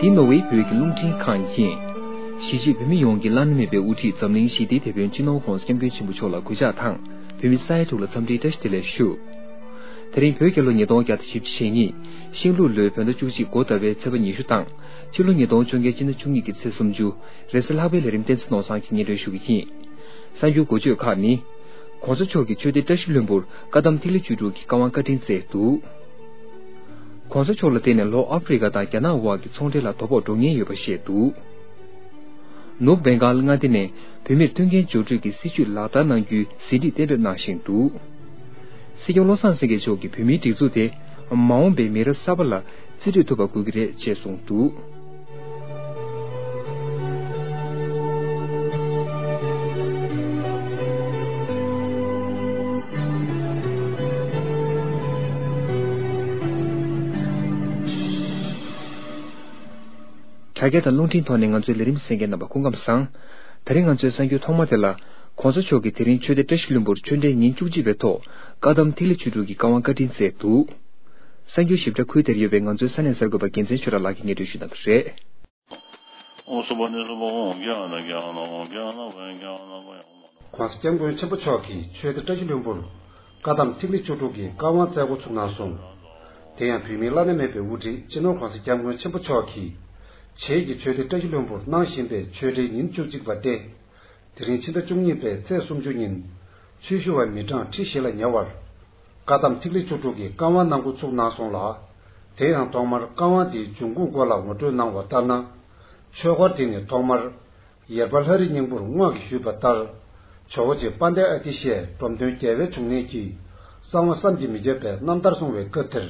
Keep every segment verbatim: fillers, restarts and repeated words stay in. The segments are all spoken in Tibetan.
འདི་ནོར་ཝེ་བོད་ཀྱི་རླུང་འཕྲིན་ཁང་ཡིན། གཞིས་བྱེས་བོད་མི་ཡོངས་ཀྱི་བླ་ན་མེད་པའི་དབུ་ཁྲིད་འཛམ་གླིང་ཞི་བདེའི་དེད་དཔོན་སྤྱི་ནོར་༧གོང་ས་༧སྐྱབས་མགོན་ཆེན་པོ་མཆོག་ལ་གུས་ཕྱག་དང་། བོད་མི་ས་ཡ་དྲུག་ལ་འཚམས་འདྲིའི་བཀྲ་ཤིས་བདེ་ལེགས་ཞུ། དེ་རིང་བོད་རྒྱལ་ལོ་ཉིས་སྟོང་བརྒྱ་དང་བཞི་བཅུ་ཞེ་གཉིས། ཤིང་ལུག་ལོའི་བོད་ཟླ་བཅུ་གཅིག་འགོ་ཟླ་བའི་ཚེས་པ་ཉི་ཤུ་དང་། ཕྱི་ལོ་ཉིས་སྟོང་བཅོ་ལྔའི་སྤྱི་ཟླ་བཅུ་གཉིས་ཀྱི་ཚེས་སུམ་ཅུ། རེས་གཟའ་ལྷག་པའི་ལས་རིམ་བསྟན་འཛིན་ནོར་བཟང་གིས་སྙན་སྒྲོན་ཞུ་གི་ཡིན། གསར་འགྱུར་འགོ་བརྗོད་ཁག་ནི། ༸གོང་ས་མཆོག་གིས་ཆོས་སྡེ་བཀྲ་ཤིས་ལྷུན་པོར་བཀའ་གདམས་ཐིག་ལེ་བཅུ་དྲུག་གི་བཀའ་དབང་བཀའ་དྲིན་སྩལ་འདུག ༸གོང་ས་མཆོག་ལ་བརྟེན་ནས་ལྷོ་ཨ་ཧྥེ་རི་ཀ་དང་རྒྱ་ནག་དབར་གྱི་ཚོང་འབྲེལ་ལ་དོ་ཕོག་འགྲོ་ངེས་ཡོད་པ་བཤད་འདུག་ནུབ་བེང་གཱལ་མངའ་སྡེ་ནས་བོད་མིར་མཐུན་རྐྱེན་སྦྱོར་སྤྲོད་ཀྱི་སྲིད་བྱུས་ལག་བསྟར་གནང་རྒྱུའི་ཟིན་བྲིས་གཏན་འབེབས་གནང་བཞིན་འདུག་སྲིད་སྐྱོང་བློ་བཟང་སེང་གེ་མཆོག་གིས་བོད་མིའི་སྒྲིག་འཛུགས་དེ་མ་འོངས་པའི་མི་རབས་གསར་པ་ལ་རྩིས་སྤྲོད་ཐུབ་པ་དགོས་ཀྱི་རེད་ཅེས་གསུངས་འདུག་དྲ་རྒྱ་དང་རླུང་འཕྲིན་ཐོག་ནས་ང་ཚོའི་ལས་རིམ་གསན་མཁན་རྣམ་པ་སྐུ་ཁམས་བཟང་། དེ་རིང་ང་ཚོའི་གསར་འགྱུར་ཐོག་མ་དེ་ལ། ༸གོང་ས་མཆོག་གིས་དེ་རིང་ཆོས་སྡེ་བཀྲ་ཤིས་ལྷུན་པོར་ཆོས་འབྲེལ་ཉིན་བཅུ་གཅིག་པའི་ཐོག་བཀའ་གདམས་ཐིག་ལེ་བཅུ་དྲུག་གི་བཀའ་དབང་བཀའ་དྲིན་སྩལ་འདུག་གསར་འགྱུར་ཞིབ་ཕྲ་ཁུལ་དེར་ཡོད་པའི་ང་ཚོའི་ས་གནས་གསར་འགོད་པ་རྒྱལ་མཚན་ཆོས་གྲགས་ལགས་ཀྱིས་སྙན་སྒྲོན་ཞུ་གནང་གི་རེད། ༸གོང་ས་༸སྐྱབས་མགོན་ཆེན་པོ་མཆོག་གིས་ཆོས་སྡེ་བཀྲ་ཤིས་ལྷུན་པོར་བཀའ་གདམས་ཐིག་ལེ་བཅུ་དྲུག་གི་བཀའ་དབང་སྩལ་འགོ་ཚུགས་གནང་སོང་། དེ་ཡང་བོད་མིའི་བླ་ན་མེད་པའི་དབུ་ཁྲིད་སྤྱི་ནོར་༸གོང་ས་༸སྐྱབས་མགོན་ཆེན་པོ་མཆོག་གིས་བྱེས་ཀྱི་ཆོས་སྡེ་བཀྲ་ཤིས་ལྷུན་པོར་གནང་བཞིན་པའི་ཆོས་འབྲེལ་ཉིན་བཅུ་གཅིག་པ་སྟེ། དེ་རིང་ཕྱི་ཟླ་བཅུ་གཉིས་པའི་ཚེས་སུམ་ཅུ་ཉིན། ཆོས་ཞུ་བ་མི་གྲངས་ཁྲི་བཞི་ལ་ཉེ་བར། བཀའ་གདམས་ཐིག་ལེ་བཅུ་དྲུག་གི་བཀའ་དབང་གནང་འགོ་ཚུགས་གནང་སོང་ལ། དེ་ཡང་ཐོག་མར་བཀའ་དབང་དེའི་འབྱུང་ཁུངས་སྐོར་ལ་ངོ་སྤྲོད་གནང་བ་ལྟར་ན། ཆོས་འཁོར་དེ་ནི་ཐོག་མར། ཡེར་པ་ལྷ་རི་སྙིང་པོར་རྔོག་གིས་ཞུས་པ་ལྟར། ཇོ་བོ་རྗེ་དཔལ་ལྡན་ཨ་ཏི་ཤས་འབྲོམ་སྟོན་རྒྱལ་བའི་འབྱུང་གནས་ཀྱིས་གསང་བ་བསམ་གྱིས་མི་ཁྱབ་པའི་རྣམ་ཐར་གསུང་བའི་སྐབས་དེར།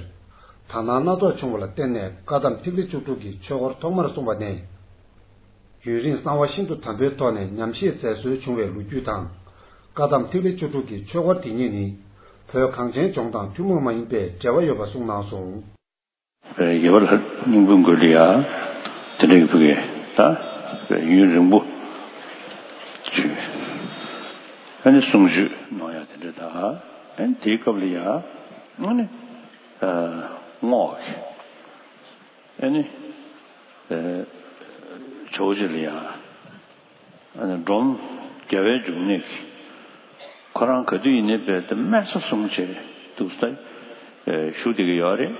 དག་སྣང་སྣ་ཚོགས་བྱུང་བ་ལ་བརྟེན་ནས་བཀའ་གདམས་ཐིག་ལེ་བཅུ་དྲུག་གི་ཆོས་འཁོར་ཐོག་མར་གསུངས་པ་ནས། ཡུན་རིང་གསང་བ་ཤིན་ཏུ་དམ་པོའི་ཐོག་ནས་ཉམས་བཞེས་མཛད་སྲོལ་བྱུང་བའི་ལོ་རྒྱུས་དང་། བཀའ་གདམས་ཐིག་ལེ་བཅུ་དྲུག་གི་ཆོས་འཁོར་དེ་ཉིད་ནི། བོད་གངས་ཅན་ལྗོངས་དང་ཐུན་མོང་མ་ཡིན་པའི་འབྲེལ་བ་ཡོད་པ་གསུངས་གནང་སོང་། ཡེར་པ་ལྷ་རི་སྙིང་པོའི་མགུལ་ལ་ཡ། དེ་འདྲའི་བུ་གས་ད། ཡུན་རིང་པོ། ཅིག་ཨ་ནི་གསུང་ཆོས་གནང་ཡ་དེ་འདྲ་ད། ཨ་ནི་དེའི་སྐབས་ལ་ཡ། ཨ་ནི། རྔོག་གིས། ཨ་ནི། ཇོ་བོ་རྗེ་ལ་ཡ། ཨ་ནི་འབྲོམ་རྒྱལ་བའི་འབྱུང་གནས་ཀྱིས། ཁོ་རང་ག་དུས་ཡིན་ནའི་རྦད་དེ་སྨན་རྩྭ་བཟུང་བྱས་འདུག་ས། བཞུགས་བསྡད་ཀྱི་ཡོད་རེད།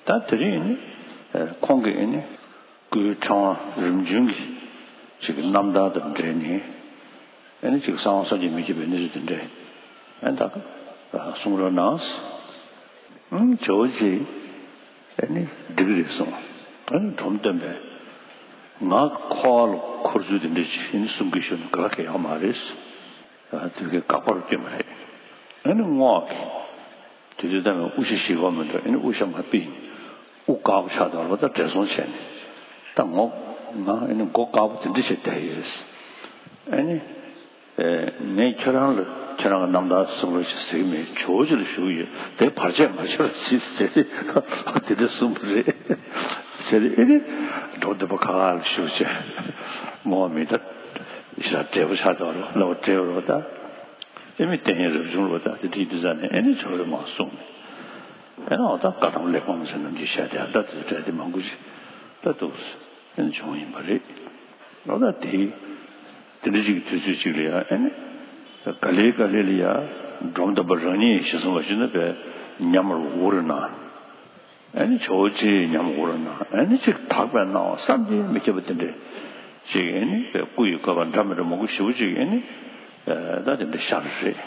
ད་དེ་རིང་ནི། ཁོང་གིས་ཨ་ནི། སྐུའི་ཕྲེང་བ་རིམ་བྱོན་གྱི་ཅིག་གི་རྣམ་ཐར་དང་འབྲེལ་ནས། ཨ་ནི་ཅིག་གསང་བ་བསམ་གྱིས་མི་ཁྱབ་པའི་གནས་ཚུལ་དེ་འདྲ། ཨ་ནི་ད་གསུང་རོགས་གནང་། ཨ་ནི་ཇོ་བོ་རྗེས། ཨ་ནི་འགྲིག་གི་རེད་གསུངས། ཨ་ནི་འབྲོམ་སྟོན་པས། ང་འཁོར་བ་ལ་འཁོར་ཚུལ་དེ་འདྲ་ཅིག་ཨ་ནི་གསུང་གི་ཞུ་ན་ག་ལ་ག་ཡག་མ་རེད། ཨ་དེ་གའི་དགག་པར་བསྐྱོན་པ་རེད། ཨ་ནི་རྔོག་གིས། དེ་དུས་ད་ནི་དབུ་ཞྭ་བཞེས་ཀྱི་ཡོད་མི་འདུག་ཨ་ནི་དབུ་ཞྭ་མ་ཕུད། དབུ་དཀར་པོ་ཆགས་འདུག་ལོ། ད་བགྲེས་སོང་བྱས་ནས། ད་ངོ་། ང་ཨ་ནི་མགོ་དཀར་པོ་དེ་འདྲ་བྱས་བསྡད་ཡོད། ཨ་ནི། ངས་ཁྱོད་རང་ལ་ཁྱོད་རང་གི་རྣམ་ཐར་གསུང་རོགས་ཞེས་ཟེར་གྱི་མེད། ཇོ་བོ་རྗེ་ལ་ཞུ་གི་ཡོད། དེ་བར་ཆད་མ་བྱེད་རོགས་ཞེས་ཟེར་ཏེ་དེ་འདྲ་གསུངས་པ་རེད། ཟེར་ཏེ་ཨ་ནི་འབྲོམ་སྟོན་པ་ཁ་ཁ་ལ་ཞུ་བྱས། མོ་མི་ད་ཞེ་དྲག་བགྲེས་པོ་ཆགས་འདུག་ལོ། བགྲེས་པོ་རེད་པ་ད། ཨེ་མི་བསྟན་ཡས་རབ་བྱུང་རེད་པ་ད། དེ་འདྲ་ཡིན་དུས་ཙང་ནས་ཨེ་ནི་ཇོ་བོས་མར་གསུངས་ནས། ཨེ་ནི་འོ་ད་བཀའ་གདམས་གླེགས་བམ་ཟེར་ནམ་རྒྱུན་བཤད་དེ་ད་དེ་འདྲ་དེ་མང་པོ་ཞིག་ད་འདུག་ཨེ་ནི་བྱུང་ཡིན་པ་རེད། འོ་ད་དེ་དེ་འདྲ་ཅིག་གི་དུས་ཚོད་ཅིག་ལ་ཡ་ཨེ་ནི་ག་ལེ་ག་ལེ་ལ་ཡ་འབྲོམ་སྟོན་པ་རང་ཉིད་ཞེས་གསུངས་པ་ཞིག་ན་བས་ཉམས་རུ་འུར་ན། ཨ་ནི་ཇོ་བོ་རྗེའི་ཉམས་འུར་ན་ཨ་ནི་ཅིག་དག་པའི་སྣང་བ་བསམ་གྱིས་མི་ཁྱབ་པ་དེ་འདྲ་ཅིག་ཨ་ནི་སྐུ་ཡི་བཀོད་པ་འདྲ་མི་འདྲ་མང་པོ་ཞེ་པོ་ཅིག་ཨ་ནི་ད་དེ་འདྲ་ཤར་རེད།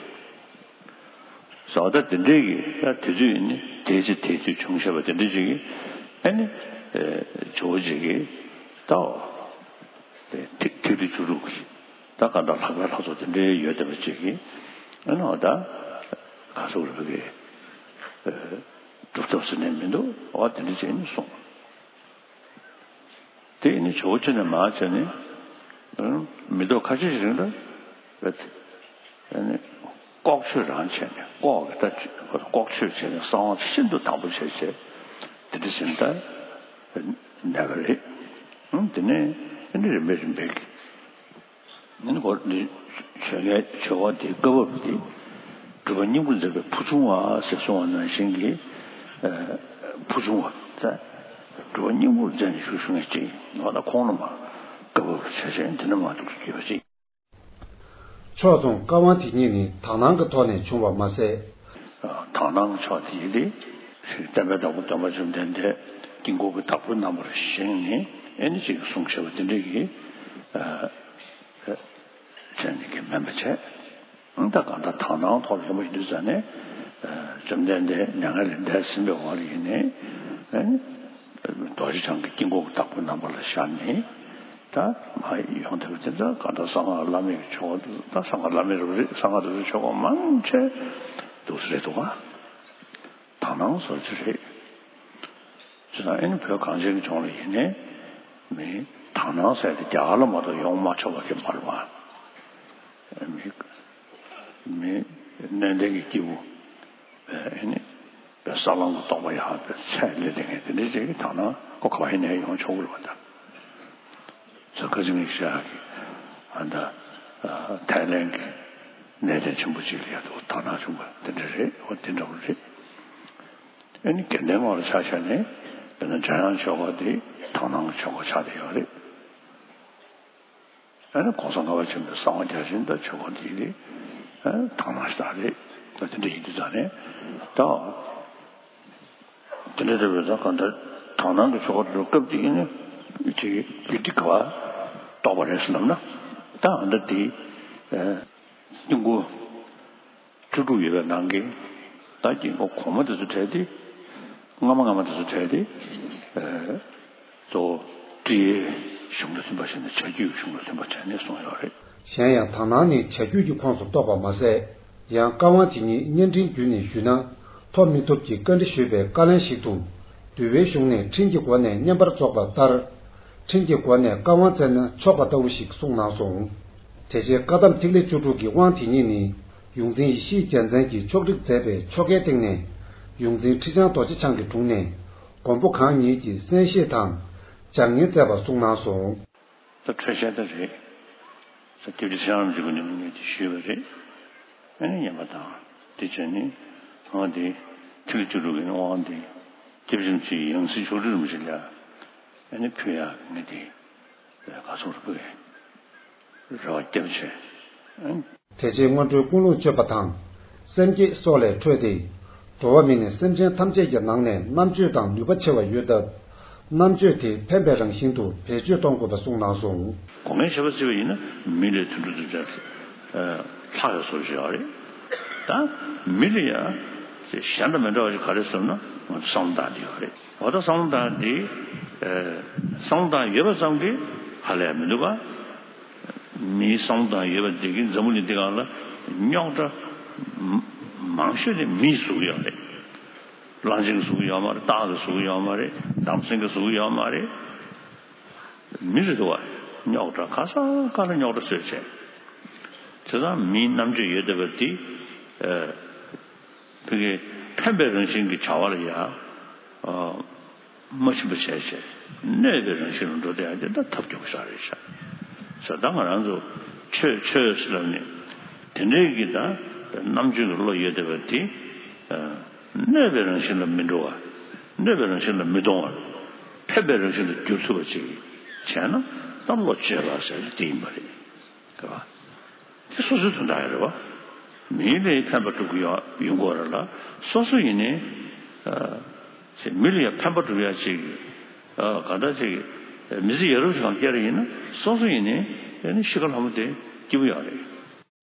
ཟོ་ད་དེ་འདྲའི་གི་ད་དེ་དུས་ཨ་ནི་དེ་ཅི་དེ་དུས་བྱུང་ཤེས་པ་དེ་འདྲ་ཅིག་གི་ཨ་ནི་ཇོ་བོ་རྗེ་གི་ད་ཐིག་ཐིག་ལེ་བཅུ་དྲུག་གི་ད་ག་འདྲ་ལྷག་པའི་ལྷག་ཚོགས་དེ་འདྲའི་ཡོད་བསྡད་པ་ཅིག་གི་ཨ་ནི་འོ་ད་ག་ཟེར་དགོས་རེད་གི། སྒྲུབ་ཐབས་ཟེར་ནས་མི་འདུག་འོ་དེ་འདྲ་བྱས་ནས་གསུངས། དེ་ནི་ཇོ་བོ་རྗེ་ནས་མར་བྱས་ནས་མི་ཐོག་ཁ་ཤས་ཤིག་རིང་ལ་ཨ་ནི་ལྐོག་ཆོས་རང་བྱས་ནས་ལྐོག་གི་ད་ལྐོག་ཆོས་བྱས་ནས་གསང་བ་ཤིན་ཏུ་དམ་པོ་བྱས་བྱས་དེ་འདྲ་བྱས་ནས་ད་གནས་པ་རེད། དེ་ནས་ཨ་ནི་རིམ་པས་རིམ་པས་ཀྱི། ཨ་ནི་གོ་འདི་ཆོས་ལས་ཆོས་འཁོར་དེའི་བཀའ་བབས་དེ་སྒྲུབ་པ་སྙིང་པོར་མཛད་པའི་ཕུར་ཆུང་བ་ཞེས་གསུངས་པ་ནང་བཞིན་གྱི་ཕུར་ཆུང་བ་ཟེར། འགྲོ་བ་སྙིང་པོར་བཙན་ནས་ཞུ་ཞུ་ངེས་ཅིག་ང་ད་ཁོང་ལ་མ་བཀའ་བབས་བྱས་བྱས་འདི་ནས་མ་འདུག་ཅེས་པ་ཅིག་ཕྱོགས་མཚུངས་བཀའ་དབང་དེ་ཉིད་ནི་དག་སྣང་གི་ཐོག་ནས་བྱུང་བ་མ་ཟད། དག་སྣང་གི་ཕྱོགས་དེ་ཡིན་ཏེ། བསྟན་པའི་བདག་པོ་སྟོན་པ་བཅོམ་ལྡན་འདས་དཀྱིལ་འཁོར་གྱི་བདག་པོའི་རྣམ་པར་བཞེངས་ནས་ཨེ་ནི་ཅིག་གསུངས་བཞག་པ་དེ་འདྲ་གི་བྱས་ནས་ཀྱི་མིན་པ་བྱས། ད་གང་ལྟར་དག་སྣང་ཐོག་ལ་ཡོང་བ་ཡིན་དུས་ཙང་ནས། བཅོམ་ལྡན་འདས་མྱ་ངན་ལས་འདས་ཟིན་པའི་འོག་ལ་ཡིན་ནས། རྡོ་རྗེ་འཆང་གི་དཀྱིལ་འཁོར་གྱི་བདག་པོའི་རྣམ་པ་ལ་ཤར་ནས། ད་མ་ཡོང་ཐུབ་པ་དེ་ཚོ་གང་ལྟར་གསང་སྔགས་བླ་མེད་ཀྱི་ཆོས་སྐོར་དུ་ད་གསང་སྔགས་བླ་མེད་རུ་རེད། གསང་སྔགས་དེ་ཚོ་ཆོས་སྐོར་མང་ཆེ་འདུག་སེ་རེད་འདུག་ག་དག་སྣང་ཟེར་རྒྱུ་རེད། ཅེས་དང་ཨེ་ནི་བོད་གངས་ཅན་གྱི་ལྗོངས་ལ་ཡིན་ནའི་མི་དག་སྣང་ཟེར་དེ་རྒྱ་གར་ལ་མ་གཏོགས་ཡོང་མ་ཆོག་པ་གི་མ་རེད་བ། མི་མི་གནས་བརྟན་གྱི་སྐྱེས་བུ་ཨེ་ནི་བའི་ས་ལམ་གྱི་རྟོགས་པ་ཡག་པའི་ཚད་ལས་དེ་ངས་དེ་འདྲ་ཅིག་གི་དག་སྣང་ཁོ་ག་བ་ཡིན་ནའི་ཡོང་ཆོག་གི་རེད་བ་ད། ཚ་ཁ་ཅིག་ངས་བཤད་ཡག་གི་ཨ་ད་ཐའི་ལན་གྱི་གནས་བརྟན་ཆེན་པོ་ཅིག་ལ་ཡ་དུ་དག་སྣང་བྱུང་བ་དེ་འདྲ་རེད་བ། དེ་འདྲ་བོ་རེད། ཨ་ནི་དགེ་ལྡན་ངོས་ལ་ཆ་བཞག་ནས་དཔེར་ན་འཇམ་དབྱངས་ཆོས་སྐོར་དེ་དག་སྣང་གི་ཆོས་སྐོར་ཆགས་བསྡད་ཡོད་རེད། ཨ་ནི་གོང་ས་ལྔ་པ་ཆེན་པོའི་གསང་བ་རྒྱ་ཆེན་དང་ཆོས་སྐོར་དེ་རེད། ཨ་དག་སྣང་ཞེ་དྲག་རེད། ཨ་དེ་འདྲ་ཡིན་དུས་ཙང་ནས་ད་དེ་འདྲ་རེད་པས། ད་གང་ལྟར་དག་སྣང་གི་ཆོས་སྐོར་དེ་སྐབས་དེ་ཡིན་ན་དེ་རྒྱུད་སྡེ་ག་བ་རྟོགས་པ་རེད་ཟེར་ལབ་ན། ད་ཨ་ད་དེ་ཨ་དཀྱིལ་འཁོར་བཅུ་དྲུག་ཡོད་པའི་ནང་གི་ད་དཀྱིལ་འཁོར་གོང་མ་དེ་ཚོ་བྲལ་ཏེ། སྔ་མ་སྔ་མ་དེ་ཚོ་བྲལ་ཏེ། ཨ་གཙོ་བོ་ཀྲི་ཡའི་གཞུང་དང་མཐུན་པ་བྱས་ནས་བྱ་རྒྱུད་ཀྱི་གཞུང་དང་མཐུན་པ་བྱས་ནས་གསུངས་ཡོད་རེད། གཞན་ཡང་དག་སྣང་ནི་བྱ་རྒྱུད་ཀྱི་ཁོངས་སུ་གཏོགས་པ་མ་ཟད། ཡང་བཀའ་དབང་དེ་ཉིད་བསྙེན་ཕྲིན་བརྒྱུད་ནས་ཞུས་ན་ཐོབ་མི་ཐུབ་ཀྱི་བཀའ་འདྲི་ཞུས་པའི་བཀའ་ལན་ཞིག་ཏུ། འདུལ་བའི་གཞུང་ནས་ཕྲིན་གྱི་སྒོ་ནས་བསྙེན་པར་རྫོགས་པ་ལྟར། ཕྲིན་གྱི་སྒོ་ནས་བཀའ་དབང་བསྩལ་ན་ཆོག་པ་ལྟ་བུ་ཞིག་གསུངས་གནང་སོང་། དེ་རྗེས་བཀའ་གདམས་ཐིག་ལེ་བཅུ་དྲུག་གི་དབང་དེ་ཉིད་ནི་ཡོངས་འཛིན་ཡེ་ཤེས་རྒྱལ་མཚན་གྱིས་ཕྱོགས་སྒྲིག་མཛད་པའི་ཆོ་གའི་སྟེང་ནས་ཡོངས་འཛིན་ཁྲི་བྱང་རྡོ་རྗེ་འཆང་གི་དྲུང་ནས་མགོན་པོ་གང་ཉིད་ཀྱི་གསན་བཞེས་དང་སྦྱར་ཉན་མཛད་པ་གསུངས་གནང་སོང་། ད་འཕྲོད་བཤད་ད་རེད། ད་སྐྱབས་རྗེ་ཚེ་རིང་རིན་པོ་ཆེ་མགོན་པོ་ཉིད་ཀྱིས་ཞུས་པ་རེད། ཨ་ནི་ཉན་པ་དང་དེ་བྱས་ནས་ང་དེ་ཐིག་ལེ་བཅུ་དྲུག་གི་དབང་དེ་སྐྱབས་རྗེ་རིན་པོ་ཆེའི་ཡང་སྲིད་ཕྱོགས་སྒྲིག་རིན་པོ་ཆེ་ལ་ཨ་ནི་ཕུལ་ཡག་ངས་དེ་ག་ཚོད་རེ་ཕུལ་ཡག་རེ་བ་བརྒྱབ་བྱས། ཨ་ནི། དེ་རྗེས་སྔོན་འགྲོའི་ཀུན་སློང་བཅོས་པ་དང་། སེམས་བསྐྱེད་སོགས་ལས་འཕྲོས་ཏེ། འགྲོ་བ་མི་ནི་སེམས་ཅན་ཐམས་ཅད་ཀྱི་ནང་ནས་རྣམ་དཔྱོད་དང་ནུས་པ་ཆེ་བ་ཡོད་སྟབས། རྣམ་དཔྱོད་དེ་ཕན་པའི་རང་བཞིན་དུ་བེད་སྤྱོད་གཏོང་དགོས་པ་གསུངས་གནང་སོང་། སྒོ་ལྔའི་བྱེད་པ་བརྩིས་པ་ཡིན་ན་མི་ལས་དུད་འགྲོ་དུད་འགྲོ་ལྷག་ཡོད་བཟོ་ཞིག་ཡོད་རེད། ད་མི་ལ་ཡང་གཞན་དང་མི་འདྲ་བ་ཞིག་ག་རེ་ཟེར་ན་ང་ཚོ་བསམ་བློ་བཏང་དེ་ཡོད་རེད། འོ་ད་བསམ་བློ་བཏང་དེ་བསམ་བློ་བཏང་ཡོད་པ་ཙམ་གྱིས་ཧ་ལས་མི་འདུག་ག་མིའི་བསམ་བློ་བཏང་ཡོད་པ་དེ་གིས་འཛམ་བུ་གླིང་འདི་སྒང་ལ་རྙོག་དྲ་མང་ཤོས་དེ་མིས་བཟོ་གི་ཡོད་རེད། གླང་ཆེན་གྱིས་བཟོ་གི་ཡོད་མ་རེད། སྟག་གིས་བཟོ་གི་ཡོད་མ་རེད། འདམ་སེང་གིས་བཟོ་གི་ཡོད་མ་རེད། མི་རེད་འདུག་བ། རྙོག་དྲ་ག་ས་ག་ལ་རྙོག་དྲ་བཟོས་བྱས། བྱས་ཙང་མིའི་རྣམ་དཔྱོད་ཡོད་བསྡད་པ་དེ་ཕ་གི་ཕན་པའི་རང་བཞིན་གྱི་བྱ་བ་ལ་ཡ། མ་ཕྱིན་པ་བྱས་བྱས་གནོད་པའི་རང་བཞིན་ལ་འགྲོ་བསྡད་ཡ་དེ་ད་ཐབས་སྐྱོ་པོ་ཞིག་རེད་ཤག་ཟེར་ད་ང་རང་ཚོ་ཆོས་ཆོས་ཟེར་ལབ་ནས་དེ་འདྲའི་གི་ད་རྣམ་དཔྱོད་ཀྱི་བློ་ཡོད་བསྡད་པ་དེ་གནོད་པའི་རང་བཞིན་ལ་མི་འགྲོ་བ། གནོད་པའི་རང་བཞིན་ལ་མི་གཏོང་བར་ཕན་པའི་རང་བཞིན་དུ་འགྱུར་ཐུབ་པ་ཅིག་བྱས་ན་ད་བློ་བཅོས་པ་ཟེར་དེ་ཡིན་པ་རེད། རེད་བ། དེ་སོ་སོའི་དོན་དག་ཡང་རེད་བ། མི་ལ་ཕན་པ་སྒྲུབ་ཀྱི་ཡོད་ཡོང་གི་ཡོད་རེད་ལ། སོ་སོ་ཡིན་ནའི། ཨ། མི་ལ་ཡང་ཕན་པ་སྒྲུབ་ཡ་ཅིག་ཨ། ག་འདྲ་ཅིག་མི་ཚེ་ཡག་རབས་ཤིག་གང་སྐྱེལ་རེ་ཡིན་ན་སོ་སོ་ཡིན་ནའི་ཨ་ནི་ཤི་ཁ་ལྷ་མོ་དེ་སྐྱིད་པོ་ཡོད་རེད།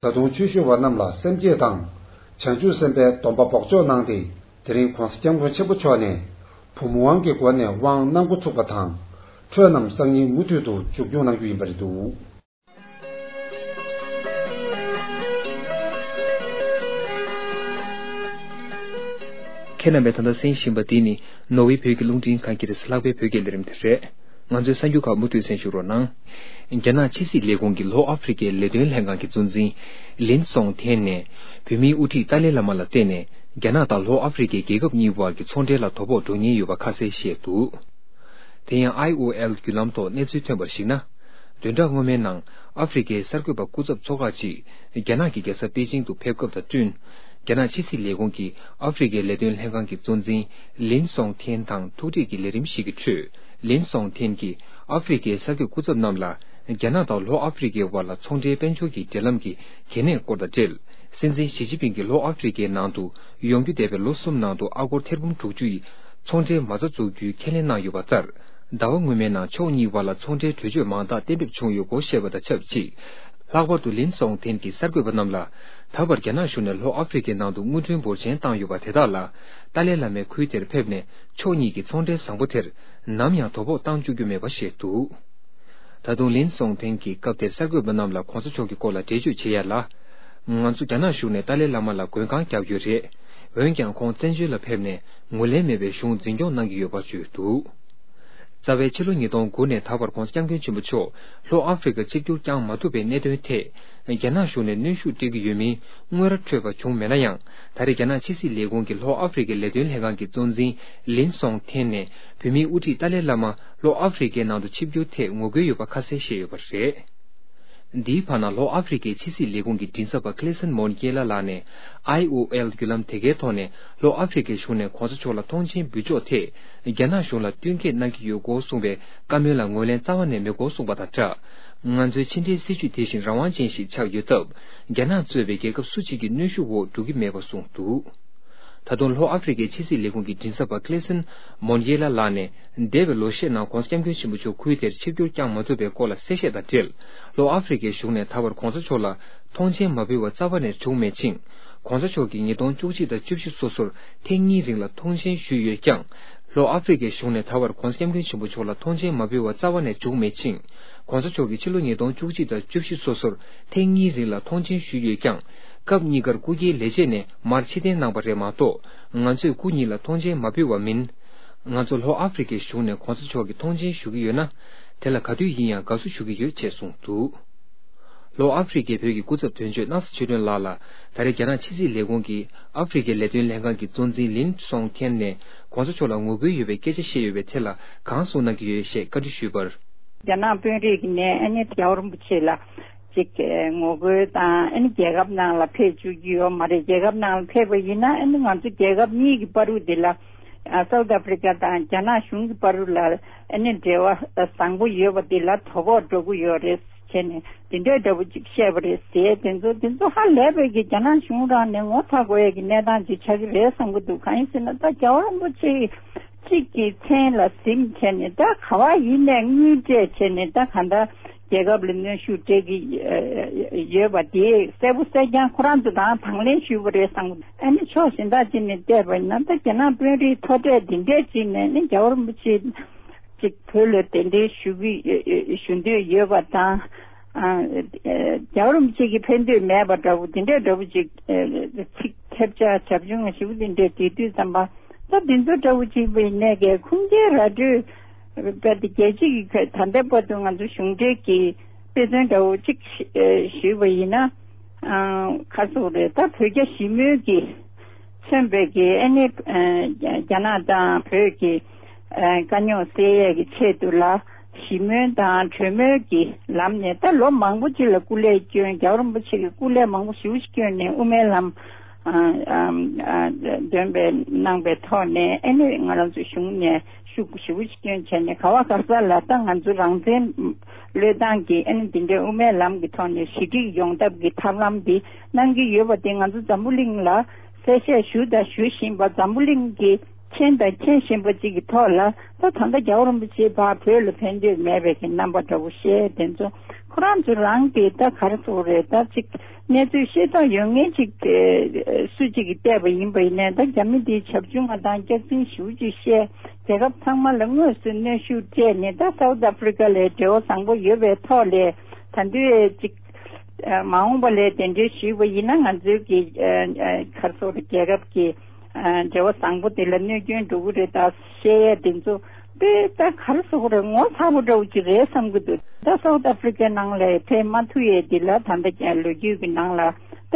ད་དུང་ཆོས་ཞུ་བ་རྣམས་ལ་སེམས་བསྐྱེད་དང་། བྱང་ཆུབ་སེམས་དཔའི་སྡོམ་པ་འབོགས་ཆོག་གནང་སྟེ། དེ་རིང་༸གོང་ས་༸སྐྱབས་མགོན་ཆེན་པོ་མཆོག་ནས་བུམ་དབང་གི་སྒོ་ནས་དབང་གནང་འགོ་ཚུགས་པ་དང་། འཕྲོས་རྣམས་སང་ཉིན་མུ་མཐུད་དུ་མཇུག་སྐྱོང་གནང་རྒྱུ་ཡིན་པ་རེད་འདུག་ཁྱེད་རྣམ་པས་ད་ལྟ་གསན་བཞིན་པ་འདི་ནི་ནོར་ཝེ་བོད་ཀྱི་རླུང་འཕྲིན་ཁང་གི་རེས་ལྷག་པའི་བོད་སྐད་ལས་རིམ་དེ་རེད། ང་ཚོའི་གསར་འགྱུར་ཁག་མུ་མཐུད་གསན་ཞུ་རོགས་གནང་། རྒྱ་ནག་ཕྱི་སྲིད་ལས་ཁུངས་ཀྱི་ལྷོ་ཨ་ཧྥེ་རི་ཀའི་ལས་དོན་ལྷན་ཁང་གི་གཙོ་འཛིན་ལིན་སོང་ཐན་ནས་བོད་མིའི་དབུ་ཁྲིད་ཏཱ་ལའི་བླ་མ་ལ་བརྟེན་ནས་རྒྱ་ནག་དང་ལྷོ་ཨ་ཧྥེ་རི་ཀའི་རྒྱལ་ཁབ་གཉིས་བར་གྱི་ཚོང་འབྲེལ་ལ་དོ་ཕོག་འགྲོ་ཉེན་ཡོད་པ་ཁ་གསལ་བཤད་འདུག་དེ་ཡང་ཨའི་ཨོ་ཨེལ་བརྒྱུད་ལམ་ཐོག་གནས་ཚུལ་ཐོན་པར་གཞིགས་ན། བདུན་ཕྲག་སྔོན་མའི་ནང་ཨ་ཧྥེ་རི་ཀའི་གསར་འགོད་པ་སྐུ་ཚབ་ཚོགས་ཁག་ཅིག་རྒྱ་ནག་གི་རྒྱལ་ས་པེ་ཅིང་དུ་ཕེབས་སྐབས་དང་བསྟུན། རྒྱ་ནག་ཕྱི་སྲིད་ལས་ཁུངས་ཀྱི་ཨ་ཧྥེ་རི་ཁའི་ལས་དོན་ལྷན་ཁང་གི་གཙོ་འཛིན་ལིན་སོང་ཐེན་དང་ཐུག་འཕྲད་ཀྱི་ལས་རིམ་ཞིག་གི་ཁྲོད། ལིན་སོང་ཐེན་གྱིས་ཨ་ཧྥེ་རི་ཁའི་གསར་འགོད་སྐུ་ཚབ་རྣམས་ལ། རྒྱ་ནག་དང་ལྷོ་ཨ་ཧྥེ་རི་ཁའི་དབར་ལ་ཚོང་འབྲེལ་དཔལ་འབྱོར་གྱི་འབྲེལ་ལམ་གྱི་གལ་གནད་སྐོར་དང་འབྲེལ། སྲིད་འཛིན་ཞི་ཅིན་ཕིང་གིས་ལྷོ་ཨ་ཧྥེ་རི་ཁའི་ནང་དུ་ཡོང་རྒྱུ་འདས་པའི་ལོ་གསུམ་ནང་དུ་ཨ་སྒོར་ཐེར་འབུམ་དྲུག་ཅུ་ཡི་ཚོང་འབྲེལ་མ་རྩ་འཛུགས་རྒྱུའི་ཁས་ལེན་གནང་ཡོད་པ་ལྟར། ཟླ་བ་སྔོན་མའི་ནང་ཕྱོགས་གཉིས་དབར་ལ་ཚོང་འབྲེལ་གྲོས་ཆོད་མང་དག་གཏན་འབེབས་བྱུང་ཡོད་སྐོར་བཤད་པ་དང་ཆབས་ཅིག། ལྷག་པར་དུ་ལིན་སོང་ཐེན་གྱིས་གསར་འགོད་པ་རྣམས་ལ། ད་བར་རྒྱ་ནག་གཞུང་ནས་ལྷོ་ཨ་ཧྥེ་རི་ཁའི་ནང་དུ་དངུལ་ཁྲོན་འབོར་ཆེན་བཏང་ཡོད་པ་དེ་དག་ལ། ཏཱ་ལའི་བླ་མའི་ཁུལ་དེར་ཕེབས་ནས་ཕྱོགས་གཉིས་ཀྱི་ཚོང་འབྲེལ་བཟང་པོ་དེར་ནམ་ཡང་དོ་ཕོག་བཏང་བཅུག་རྒྱུ་མེད་པ་བཤད་འདུག། ད་དུང་ལིན་སོང་ཐེན་གྱིས་སྐབས་དེར་གསར་འགོད་པ་རྣམས་ལ་གོང་ས་མཆོག་གི་སྐོར་ལ་འགྲེལ་བརྗོད་བྱེད་ཡ་ལ། ང་ཚོ་རྒྱ་ནག་གཞུང་ནས་ཏཱ་ལའི་བླ་མ་ལ་མགོན་ཁང་བརྒྱབ་ཡོད་རེད། འོན་ཀྱང་ཁོང་བཙན་བྱོལ་ལ་ཕེབས་ནས་ངོས་ལེན་མེད་པའི་གཞུང་འཛིན་སྐྱོང་གནང་གི་ཡོད་པ་བརྗོད་འདུག། རྩ་བའི་ཕྱི་ལོ་ཉིས་སྟོང་དགུ་ནས་ད་བར་༧གོང་ས་༧སྐྱབས་མགོན་ཆེན་པོ་མཆོག་ལྷོ་ཨ་ཧྥེ་རི་ཁ་ཆིབས་བསྒྱུར་བསྐྱངས་མ་ཐུབ་པའི་གནད་དོན་ཐད། རྒྱ་ནག་གཞུང་ནས་གནོན་ཤུགས་སྤྲད་ཀྱི་ཡོད་མིན་དངོས་ར་འཕྲོད་པ་བྱུང་མེད་ན་ཡང་། ད་རེས་རྒྱ་ནག་ཕྱི་སྲིད་ལས་ཁུངས་ཀྱི་ལྷོ་ཨ་ཧྥེ་རི་ཁའི་ལས་དོན་ལྷན་ཁང་གི་གཙོ་འཛིན་ལིན་སོང་ཐེན་ནས་བོད་མིའི་དབུ་ཁྲིད་ཏཱ་ལའི་བླ་མ་ལྷོ་ཨ་ཧྥེ་རི་ཁའི་ནང་དུ་ཆིབས་བསྒྱུར་ཐད་ངོ་རྒོལ་ཡོད་པ་ཁ་གསལ་བཤད་ཡོད་པ་རེད། འདིའི་བར་ན་ལྷོ་ཨ་ཧྥེ་རི་ཁའི་ཕྱི་སྲིད་ལས་ཁུངས་ཀྱི་མགྲིན་ཚབ་པ་ཀླེ་སན་མོན་ཀེ་ལ་ལགས་ནས། ཨའི་ཨོ་ཨེལ་བརྒྱུད་ལམ་དེ་གའི་ཐོག་ནས་ལྷོ་ཨ་ཧྥེ་རི་ཁའི་གཞུང་ནས་གོང་ས་མཆོག་ལ་མཐོང་མཆན་འབུལ་ཕྱོགས་ཐད། རྒྱ་ནག་གཞུང་ལ་བསྟུན་མཁས་གནང་གི་ཡོད་སྐོར་གསུངས་པའི་བཀའ་མོལ་ལ་ངོས་ལེན་རྩ་བ་ནས་མེད་སྐོར་གསུངས་པ་དང་སྦྲགས། ང་ཚོའི་ཕྱི་འབྲེལ་སྲིད་བྱུས་དེ་བཞིན་རང་དབང་ཅན་ཞིག་ཆགས་ཡོད་སྟབས། རྒྱ་ནག་གཙོས་པའི་རྒྱལ་ཁབ་སུ་གཅིག་གི་གནོན་ཤུགས་འོག་འགྲོ་གི་མེད་པ་གསུངས་འདུག། ད་དུང་ལྷོ་ཨ་ཧྥེ་རི་ཁའི་ཕྱི་སྲིད་ལས་ཁུངས་ཀྱི་མགྲིན་ཚབ་པ་ཀླེ་སན་མོན་ཡེ་ལ་ལགས་ནས། འདས་པའི་ལོ་ཤས་ནང་༧གོང་ས་༧སྐྱབས་མགོན་ཆེན་པོ་མཆོག་ཁུལ་དེར་ཆིབས་བསྒྱུར་བསྐྱངས་མ་ཐུབ་པའི་སྐོར་ལ་གསལ་བཤད་དང་འབྲེལ། ལྷོ་ཨ་ཧྥེ་རི་ཁའི་གཞུང་ནས་ད་བར་གོང་ས་མཆོག་ལ་མཐོང་མཆན་མ་ཕུལ་བ་རྩ་བ་ནས་བྱུང་མེད་ཅིང་། གོང་ས་མཆོག་གིས་ཉིས་སྟོང་བཅུ་གཅིག་དང་བཅུ་བཞི་སོ་སོར་ཐེངས་གཉིས་རིང་ལ་མཐོང་མཆན་ཞུས་ཡོད་ཀྱང་། ལྷོ་ཨ་ཧྥེ་རི་ཁའི་གཞུང་ནས་ད་བར་གོང་ས་༧སྐྱབས་མགོན་ཆེན་པོ་མཆོག་ལ་མཐོང་མཆན་མ་ཕུལ་བ་རྩ་བ་ནས་བྱུང་མེད་ཅིང་། གོང་ས་མཆོག་གིས་ཕྱི་ལོ་ཉིས་སྟོང་བཅུ་གཅིག་དང་བཅུ་བཞི་སོ་སོར་ཐེངས་གཉིས་རིང་ལ་མཐོང་མཆན་ཞུས་ཡོད་ཀྱང་། སྐབས་གཉིས་ཀར་སྐུ་སྒེར་ལས་བྱེད་ནས་མར་ཕྱིར་འཐེན་གནང་བ་རེད་མ་གཏོགས། ང་ཚོས་སྐུ་ཉིད་ལ་མཐོང་མཆན་མ་ཕུལ་བ་མིན། ང་ཚོ་ལྷོ་ཨ་ཧྥེ་རི་ཁའི་གཞུང་ནས་གོང་ས་མཆོག་གིས་མཐོང་མཆན་ཞུ་གི་ཡོད་ན། དེ་ལ་ག་དུས་ཡིན་ཡང་དགའ་བསུ་ཞུ་གི་ཡོད་ཅེས་གསུངས་འདུག། ལྷོ་ཨ་ཧྥེ་རི་ཁའི་བོད་ཀྱི་སྐུ་ཚབ་དོན་གཅོད་སྣང་ས་ཆོས་སྒྲོན་ལགས་ལ། ད་རེས་རྒྱ་ནག་ཕྱི་སྲིད་ལས་ཁུངས་ཀྱི་ཨ་ཧྥེ་རི་ཁའི་ལས་དོན་ལྷན་ཁང་གི་གཙོ་འཛིན་ལིན་སོང་ཐེན་ནས་གོང་ས་མཆོག་ལ་ངོ་རྒོལ་ཡོད་པའི་སྐད་ཆ་བཤད་ཡོད་པའི་ཐད་ལ་གང་གསུངས་གནང་གི་ཡོད་ཞེས་བཀའ་འདྲི་ཞུས་པར། རྒྱ་ནག་དཔོན་རིགས་ནས་ཨ་ནི་རྒྱལ་བ་རིན་པོ་ཆེ་ལ་ཅིག་ངོ་རྒོལ་དང་ཨ་ནི་རྒྱལ་ཁབ་ནང་ལ་ཕེབས་བཅུག་གི་ཡོད་མ་རེད། རྒྱལ་ཁབ་ནང་ལ་ཕེབས་པ་ཡིན་ན་ཨ་ནི་ང་ཚོ་རྒྱལ་ཁབ་གཉིས་ཀྱི་བར་དུ་དེ་ལ་ཨ་སའུ་ཐི་ཨ་ཧྥེ་རི་ཁ་དང་རྒྱ་ནག་གཞུང་གི་བར་དུ་ལ་ཨ་ནི་འབྲེལ་བ་བཟང་པོ་ཡོད་པ་དེ་ལ་དོ་ཕོག་འགྲོ་གི་ཡོད་རེད། བྱས་ནས་དེ་འདྲའི་འདྲ་པོ་ཅིག་བཤད་པ་རེད་ཟེར། དེ་ཚོ་དེ་ཚོ་ཧ་ལས་པའི་གི་རྒྱ་ནག་གཞུང་རང་ནས་ངོ་ཚ་དགོས་ཡས་ཀྱི་གནས་སྟངས་ཅིག་ཆགས་ཀྱི་རེད་བསམ་གྱི་འདུག། གང་ཡིན་ཟེར་ན་ད་རྒྱལ་བ་རིན་པོ་ཆེ་གཅིག་གི་མཚན་ལ་གཟིམ་བྱས་ནས་ད་ག་བ་ཡིན་ནས་དངུལ་སྤྲད་བྱས་ནས་ད་གང་ལྟར་རྒྱལ་ཁབ་ལ་གནོན་ཤུགས་སྤྲད་ཀྱི་ཡོད་པ་དེ་གསལ་པོ་གསལ་རྐྱང་ཁོ་རང་ཚོ་དང་དང་ལེན་ཞུས་པ་རེད་བསམ་གྱི་འདུག། ཨ་ནི་ཕྱོགས་གཞན་དག་ཅིག་ནས་བལྟས་པ་ཡིན་ན་ད་རྒྱ་ནག་དཔོན་རིགས་མཐོ་གྲས་འདི་འདྲས་ཅིག་ནས་ནི་རྒྱལ་བ་རིན་པོ་ཆེ། ཅིག་བོད་ལ་གདན་འདྲེན་ཞུ་གི་ཞུ་འདོད་ཡོད་པ་དང་། ཨ་རྒྱལ་བ་རིན་པོ་ཆེ་གིས་ཕེབས་འདོད་མེད་པ་འདྲ་བོ་དེ་འདྲའི་འདྲ་བོ་ཅིག་ཚིག་ཐེབས་ཆག་བྱབ་ཆུང་ཞེ་པོ་དེ་འདྲའི་དེ་དུས་ཙམ་པ་ད་དེ་ཚོ་འདྲ་བོ་ཅིག་བྱས་ནས་གས་ཁུངས་སྐྱེལ་ར་སྤྲོད་པ་དེ་རྒྱལ་སྤྱི་གི་ད་ལྟའི་བར་དུ་ང་ཚོ་གཞུང་འབྲེལ་གྱི་དཔེ་མཚོན་འདྲ་བོ་ཅིག་ཞུས་པ་ཡིན་ན། ཨ་ག་རེ་ཟེར་དགོས་རེད། ད་བོད་རྒྱ་ཞི་མོལ་གྱི་མཚོན་པའི་གི་ཨ་ནི་ཨ་རྒྱ་ནག་དང་བོད་ཀྱི་ཨ་དཀའ་རྙོག་སེལ་ཡས་ཀྱི་ཆེད་དུ་ལ་ཞི་མོལ་དང་གྲོས་མོལ་གྱི་ལམ་ནས་ད་ལོ་མང་པོ་ཅིག་ལ་སྐུ་ལས་བསྐྱོན། རྒྱལ་བ་རིན་པོ་ཆེ་གིས་སྐུ་ལས་མང་པོ་ཞེ་པོ་ཅིག་བསྐྱོན་ནས་དབུ་མའི་ལམ་ཨ་ཨ་ཨ་འདོན་པའི་གནང་པའི་ཐོག་ནས་ཨ་ནི་ང་རང་ཚོ་གཞུང་ནས་ཤུགས་ཞེ་པོ་ཅིག་བསྐྱོན་བྱས་ནས་ག་བ་ག་ས་ལ་ད་ང་ཚོ་རང་བཙན་བློས་བཏང་གིས་ཨ་ནི་འདི་འདྲའི་དབུ་མའི་ལམ་གྱི་ཐོག་ནས་ཞི་འགྲིག་ཡོང་ཐབས་ཀྱི་ཐབས་ལམ་འདི་གནང་གི་ཡོད་པ་དེ་ང་ཚོ་འཛམ་བུ་གླིང་ལ་གསལ་བཤད་ཞུ་དང་ཞུ་བཞིན་པ། འཛམ་བུ་གླིང་གིས་མཁྱེན་དང་མཁྱེན་བཞིན་པ་ཅིག་གི་ཐོག་ལ་ད་ད་ལྟ་རྒྱལ་བ་རིན་པོ་ཆེ་ཕར་བོད་ལ་ཕན་འདོད་མེད་པའི་གི་རྣམ་པ་འདྲ་བོ་བཤད། དེ་ཚོ་ཁོ་རང་ཚོ་རང་གིས་ད་ག་རེ་ཟེར་དགོས་རེད། ད་ཅིག་གནས་ཚུལ་ཤེས་རྟོགས་ཡོད་མཁན་ཅིག་སུ་གཅིག་གིས་བལྟས་པ་ཡིན་པ་ཡིན་ནའི་ད་རྒྱ་མི་འདིའི་བྱབ་ཆུང་བ་དང་སྐྱག་རྫུན་ཞེ་པོ་ཅིག་བཤད། རྒྱལ་ཁབ་ཚང་མ་ལ་དངོས་སུ་གནོན་ཤུགས་སྤྲད་ནས་ད་སའུ་ཐི་ཨ་ཧྥེ་རི་ཀ་ལ་འབྲེལ་བ་བཟང་པོ་ཡོད་པའི་ཐོག་ལས་ད་དུང་ཅིག་མ་འོངས་པ་ལ་གདན་འདྲེན་ཞུས་པ་ཡིན་ན་ང་ཚོའི་གི་ག་རེ་ཟེར་དགོས་རེད། རྒྱལ་ཁབ་ཀྱི་འབྲེལ་བ་བཟང་པོ་དེ་ལ་གནོད་སྐྱོན་འགྲོ་གི་རེད། ད་བཤད་ཡས་དེ་ཚོ་དཔེ་ད་ག་རེ་ཟེར་དགོས་རེད། ངོ་ཚ་པོ་འདྲ་བོ་ཅིག་རེད་བསམ་གི་འདུག། ད་སའུ་ཐི་ཨ་ཧྥེ་རི་ཀའི་ནང་ལ་ཕེབས་མ་ཐུབ་ཡས་འདི་ལ་ད་ལྟ་ལོ་རྒྱུས་ཀྱི་ནང་ལ་ད་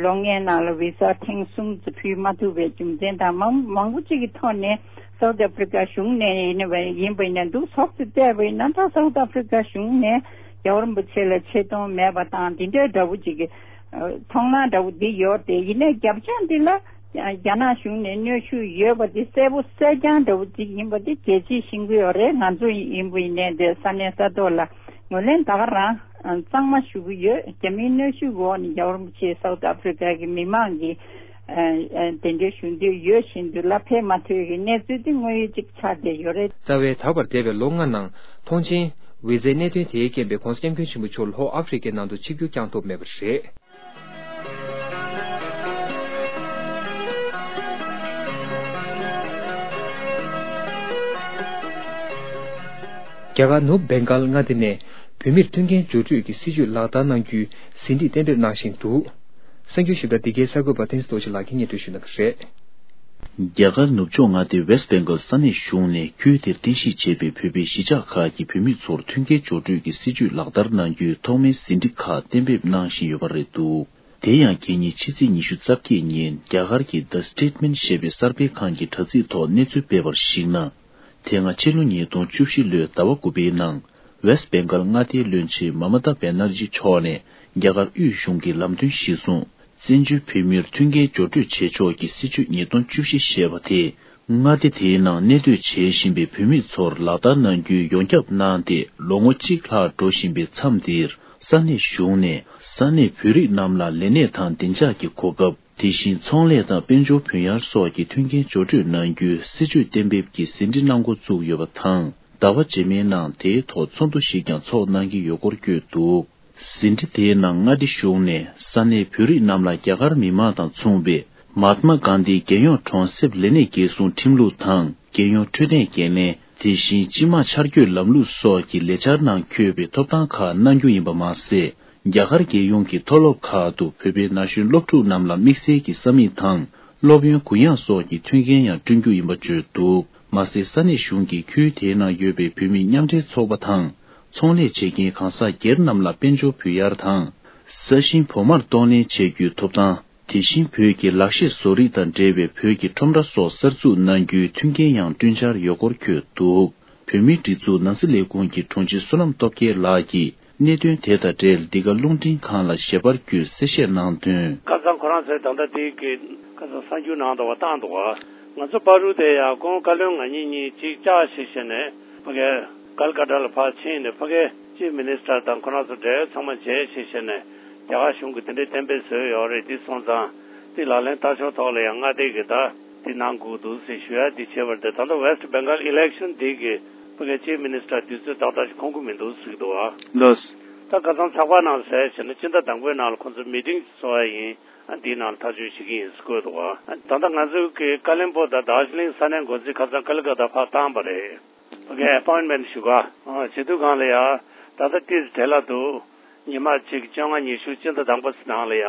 ལོ་ལྔའི་ནང་ལ་བི་ས་ཐེངས་གསུམ་ཙམ་ཕུལ་མ་ཐུབ་པའི་རྒྱུ་མཚན་དང་མང་མང་པོ་ཅིག་གི་ཐོག་ནས་སའུ་ཐི་ཨ་ཧྥེ་རི་ཀ་གཞུང་ནས་ཡིན་པ་ཡིན་པ་ཡིན་ན་འདུག་ཟོག་ཙམ་བལྟས་པ་ཡིན་ན་ད་སའུ་ཐི་ཨ་ཧྥེ་རི་ཀ་གཞུང་ནས་རྒྱལ་བ་རིན་པོ་ཆེ་ལ་ཆེ་མཐོང་མེད་པ་དང་འདི་འདྲའི་འདྲ་བོ་ཅིག་གི་ མཐོང་སྣང་འདྲ་བོ་འདི་ཡོད་དེ། ཡིན་ནའི་རྒྱབ་ལྗོངས་འདི་ལ་རྒྱ་ནག་གཞུང་ནས་གནོན་ཤུགས་ཡོད་པ་འདི་གསལ་པོ་གསལ་རྐྱང་འདྲ་བོ་ཅིག་ཡིན་པ་འདི་གལ་ཆེ་ཤེས་ཀྱི་ཡོད་རེད། ང་ཚོ་ཡིན་པ་ཡིན་ནའི་འདི་ས་གནས་ས་ཐོག་ལ་ངོས་ལེན་ད་ག་རང་གཙང་མ་ཞུ་གི་ཡོད། རྒྱ་མིའི་གནོན་ཤུགས་འོག་ནས་རྒྱལ་བ་རིན་པོ་ཆེ་སའུ་ཐི་ཨ་ཕི་རི་ཀ་གི་མི་མང་གིས་གདན་འདྲེན་ཞུ་འདོད་ཡོད་བཞིན་དུ་ལ་ཕེབས་མ་ཐུབ་ཀྱི་གནས་ཚུལ་འདི་དངོས་ཡོད་ཅིག་ཆགས་བསྡད་ཡོད་རེད། རྩ་བའི་ད་བར་འདས་པའི་ལོ་ལྔ་ནང་ཐོངས་མཆན་བི་ཛའི་གནད་དོན་དེའི་རྐྱེན་པས་༸གོང་ས་༸སྐྱབས་མགོན་ཆེན་པོ་མཆོག་ལྷོ་ཨ་ཧྥེ་རི་ཀའི་ནང་དུ་ཆིབས་བསྒྱུར་བསྐྱངས་ཐུབ་མེད་པ་རེད། རྒྱ་གར་ནུབ་བེང་གལ་མངའ་སྡེ་ནས་བོད་མིར་མཐུན་རྐྱེན་སྦྱོར་སྤྲོད་ཀྱི་སྲིད་ཇུས་ལག་བསྟར་གནང་རྒྱུའི་ཟིན་བྲིས་གཏན་འབེབས་གནང་བཞིན་འདུག། གསར་འགྱུར་ཞིབ་ཕྲ་འདི་གའི་གསར་འགོད་པ་བསྟན་འཛིན་རྡོ་རྗེ་ལགས་ཀྱིས་སྙན་སྒྲོན་ཞུ་གནང་གི་རེད། རྒྱ་གར་ནུབ་ཕྱོགས་མངའ་སྡེ་West Bengal ས་གནས་གཞུང་ནས་ཁུལ་དེར་རྟེན་གཞི་བྱས་པའི་བོད་པའི་གཞིས་ཆགས་ཁག་གི་བོད་མི་ཚོར་མཐུན་རྐྱེན་སྦྱོར་སྤྲོད་ཀྱི་སྲིད་ཇུས་ལག་བསྟར་གནང་རྒྱུའི་ཐོག་མའི་ཟིན་བྲིས་ཁག་གཏན་འབེབས་གནང་བཞིན་ཡོད་པ་རེད་འདུག། དེ་ཡང་རྒྱལ་ཉིན་ཕྱི་ཚེས་ཉི་ཤུ་རྩ་བརྒྱད་ཉིན་རྒྱ་གར་གྱི་The Statesman ཞེས་པའི་གསར་སྤེལ་ཁང་གི་དྲ་ཚིགས་ཐོག་གནས་ཚུལ་སྤེལ་བར་གཞིགས་ན། དེ་སྔ་ཕྱི་ལོ་ཉིས་སྟོང་བཅུ་བཞི་ལོའི་ཟླ་བ་དགུ་པའི་ནང་West Bengal མངའ་སྡེའི་བློན་ཆེན་མ་མ་ཏཱ་བེ་ནར་ཇི་མཆོག་ནས་རྒྱ་གར་དབུས་གཞུང་གི་ལམ་སྟོན་གཞིར་བཟུང་། བཙན་བྱོལ་བོད་མིར་མཐུན་རྐྱེན་སྦྱོར་སྤྲོད་བྱེད་ཕྱོགས་ཀྱི་སྲིད་ཇུས་ཉིས་སྟོང་བཅུ་བཞི་ཞེས་པ་དེས་མངའ་སྡེ་དེའི་ནང་གནས་སྡོད་བྱེད་བཞིན་པའི་བོད་མི་ཚོར་ལག་བསྟར་གནང་རྒྱུའི་ཡོངས་ཁྱབ་གནང་སྟེ། ལོ་ངོ་གཅིག་ལྷག་འགྲོ་བཞིན་པའི་མཚམས་འདིར་ས་གནས་གཞུང་ནས་ས་གནས་བོད་རིགས་རྣམས་ལ་ལས་གནས་དང་བདེ་འཇགས་ཀྱི་གོ་སྐབས། དེ་བཞིན་ཚོང་ལས་དང་དཔལ་འབྱོར་བུན་གཡར་སོགས་ཀྱི་མཐུན་རྐྱེན་སྦྱོར་སྤྲོད་གནང་རྒྱུའི་སྲིད་ཇུས་གཏན་འབེབས་ཀྱི་ཟིན་བྲིས་གནང་འགོ་བཙུགས་ཡོད་པ་དང་། ཟླ་བ་རྗེས་མའི་ནང་དེའི་ཐོག་ཚོགས་འདུ་ཞིག་ཀྱང་ཚོགས་གནང་གི་ཡོད་སྐོར་བཀོད་འདུག། ཟིན་བྲིས་དེའི་ནང་མངའ་སྡེ་གཞུང་ནས་ས་གནས་བོད་རིགས་རྣམས་ལ་རྒྱ་གར་མི་མང་དང་མཚུངས་པའི་མཱ་ཏི་མ་གྷན་དྷིའི་རྒྱལ་ཡོངས་གྲོང་གསེབ་ལས་གནས་འགན་སྲུང་ཁྲིམས་ལུགས་དང་། རྒྱལ་ཡོངས་འཕྲོད་བསྟེན་འགན་ལེན། དེ་བཞིན་སྤྱི་དམངས་འཆར་འགོད་ལམ་ལུགས་སོགས་ཀྱི་ལས་འཆར་ནང་འཁོད་པའི་ཐོབ་ཐང་ཁག་གནང་རྒྱུ་ཡིན་པ་མ་ཟད། རྒྱ་གར་རྒྱལ་ཡོངས་ཀྱི་མཐོ་སློབ་ཁག་ཏུ་བོད་པའི་ན་གཞོན་སློབ་ཕྲུག་རྣམས་ལ་དམིགས་བསལ་གྱི་ས་མིག་དང་། སློབ་ཡོན་གུ་ཡངས་སོགས་ཀྱི་མཐུན་རྐྱེན་ཡང་བསྐྲུན་རྒྱུ་ཡིན་པ་བརྗོད་འདུག། མ་ཟད། ས་གནས་གཞུང་གིས་ཁུལ་དེའི་ནང་ཡོད་པའི་བོད་མིའི་མཉམ་འབྲེལ་ཚོགས་པ་དང་། ཚོང་ལས་བྱེད་མཁན་གང་ཟག་སྒེར་རྣམས་ལ་དཔལ་འབྱོར་བུན་གཡར་དང་། ས་ཞིང་བོགས་མར་གཏོང་ལེན་བྱེད་རྒྱུའི་ཐོབ་ཐང་། དེ་བཞིན་བོད་ཀྱི་ལག་ཤེས་བཟོ་རིག་དང་འབྲེལ་བའི་བོད་ཀྱི་ཁྲོམ་ར་སོགས་གསར་འཛུགས་གནང་རྒྱུའི་མཐུན་རྐྱེན་ཡང་བསྐྲུན་འཆར་ཡོད་སྐོར་བཀོད་འདུག། བོད་མིའི་སྒྲིག་འཛུགས་ནང་སྲིད་ལས་ཁུངས་ཀྱི་དྲུང་ཆེ་བསོད་ནམས་སྟོབས་རྒྱལ་ལགས་ཀྱིས་གནད་དོན་དེ་དང་འབྲེལ་འདི་ག་རླུང་འཕྲིན་ཁང་ལ་ཞལ་པར་བརྒྱུད་གསལ་བཤད་གནང་དོན། ཁ་སང་ཁོ་རང་ཚོས་ད་ལྟ་དེའི་གི་ཁ་སང་གསར་འགྱུར་ནང་དུ་བ་བཏང་འདུག་བ། ང་ཚོ་བར་དུ་དེ་ཡང་ཁོང་བཀའ་བློན་ང་གཉིས་གཉིས་གཅིག་བཅར་ཞིག་བྱས་ནས་ཕ་གི་ཀལ་ཀ་ཏ་ལ་ཕར་ཕྱིན་ནས་ཕ་གི་ཅིབ་མི་ནི་སི་ཊར་དང་ཁོ་རང་ཚོ་འབྲེལ་ཡོད་ཚང་མ་མཇལ་ཞིག་བྱས་ནས་རྒྱ་གར་གཞུང་གིས་དེ་འདྲའི་གཏན་འབེབས་བཟོས་ཡོད་རེད། དེ་སོང་ཙང་དེ་ལག་ལེན་བསྟར་ཕྱོགས་ཐོག་ལ་ཡང་མངའ་སྡེ་གི་ད་དེ་གནང་དགོས་འདུག་ཟེར་ཞུ་ཡ་དེ་བྱས་པ་རེད། ད་ལྟ་West Bengal election དེ་གི་ཕ་གི་ཅིབ་མི་ནི་སི་ཊར་དུས་ཚོད་ཏག་ཏག་ཞིག་ཁོང་ཁུ་མི་འདུག་ཟེར་གི་འདུག་བ། ལགས། ད་ཁ་སང་ཚགས་པར་ནང་གསལ་བྱས་ན་སྤྱི་ཟླ་དང་པོའི་ནང་ལ་ཁོང་ཚོ་མི་ཊིང་ཚོགས་ཡ་ཡིན། ཨ་འདིའི་ནང་ལ་ཐག་གཅོད་བྱེད་ཀྱི་ཡིན་ཟེར་བཀོད་འདུག་བ། ད་ལྟ་ང་ཚོའི་གི་ཀ་ལིམ་པོང་དང་དར་ཇི་ལིང་ས་གནས་འགོ་འཛིན་ཁ་སང་ཀལ་ཀ་ཏ་ཕར་བཏང་པ་རེད། ཕ་གི་ཨེ་པོའིན་མེན་ཊི་ཞུ་ག་ཨ་བྱེད་དུས་སྒང་ལ་ཡ་ད་ལྟ་ཏིས་བྲེལ་ལ་འདུག། ཉི་མ་གཅིག་བཅོ་ལྔ་ཉི་ཤུ་སྤྱི་ཟླ་དང་པོ་ནང་ལ་ཡ་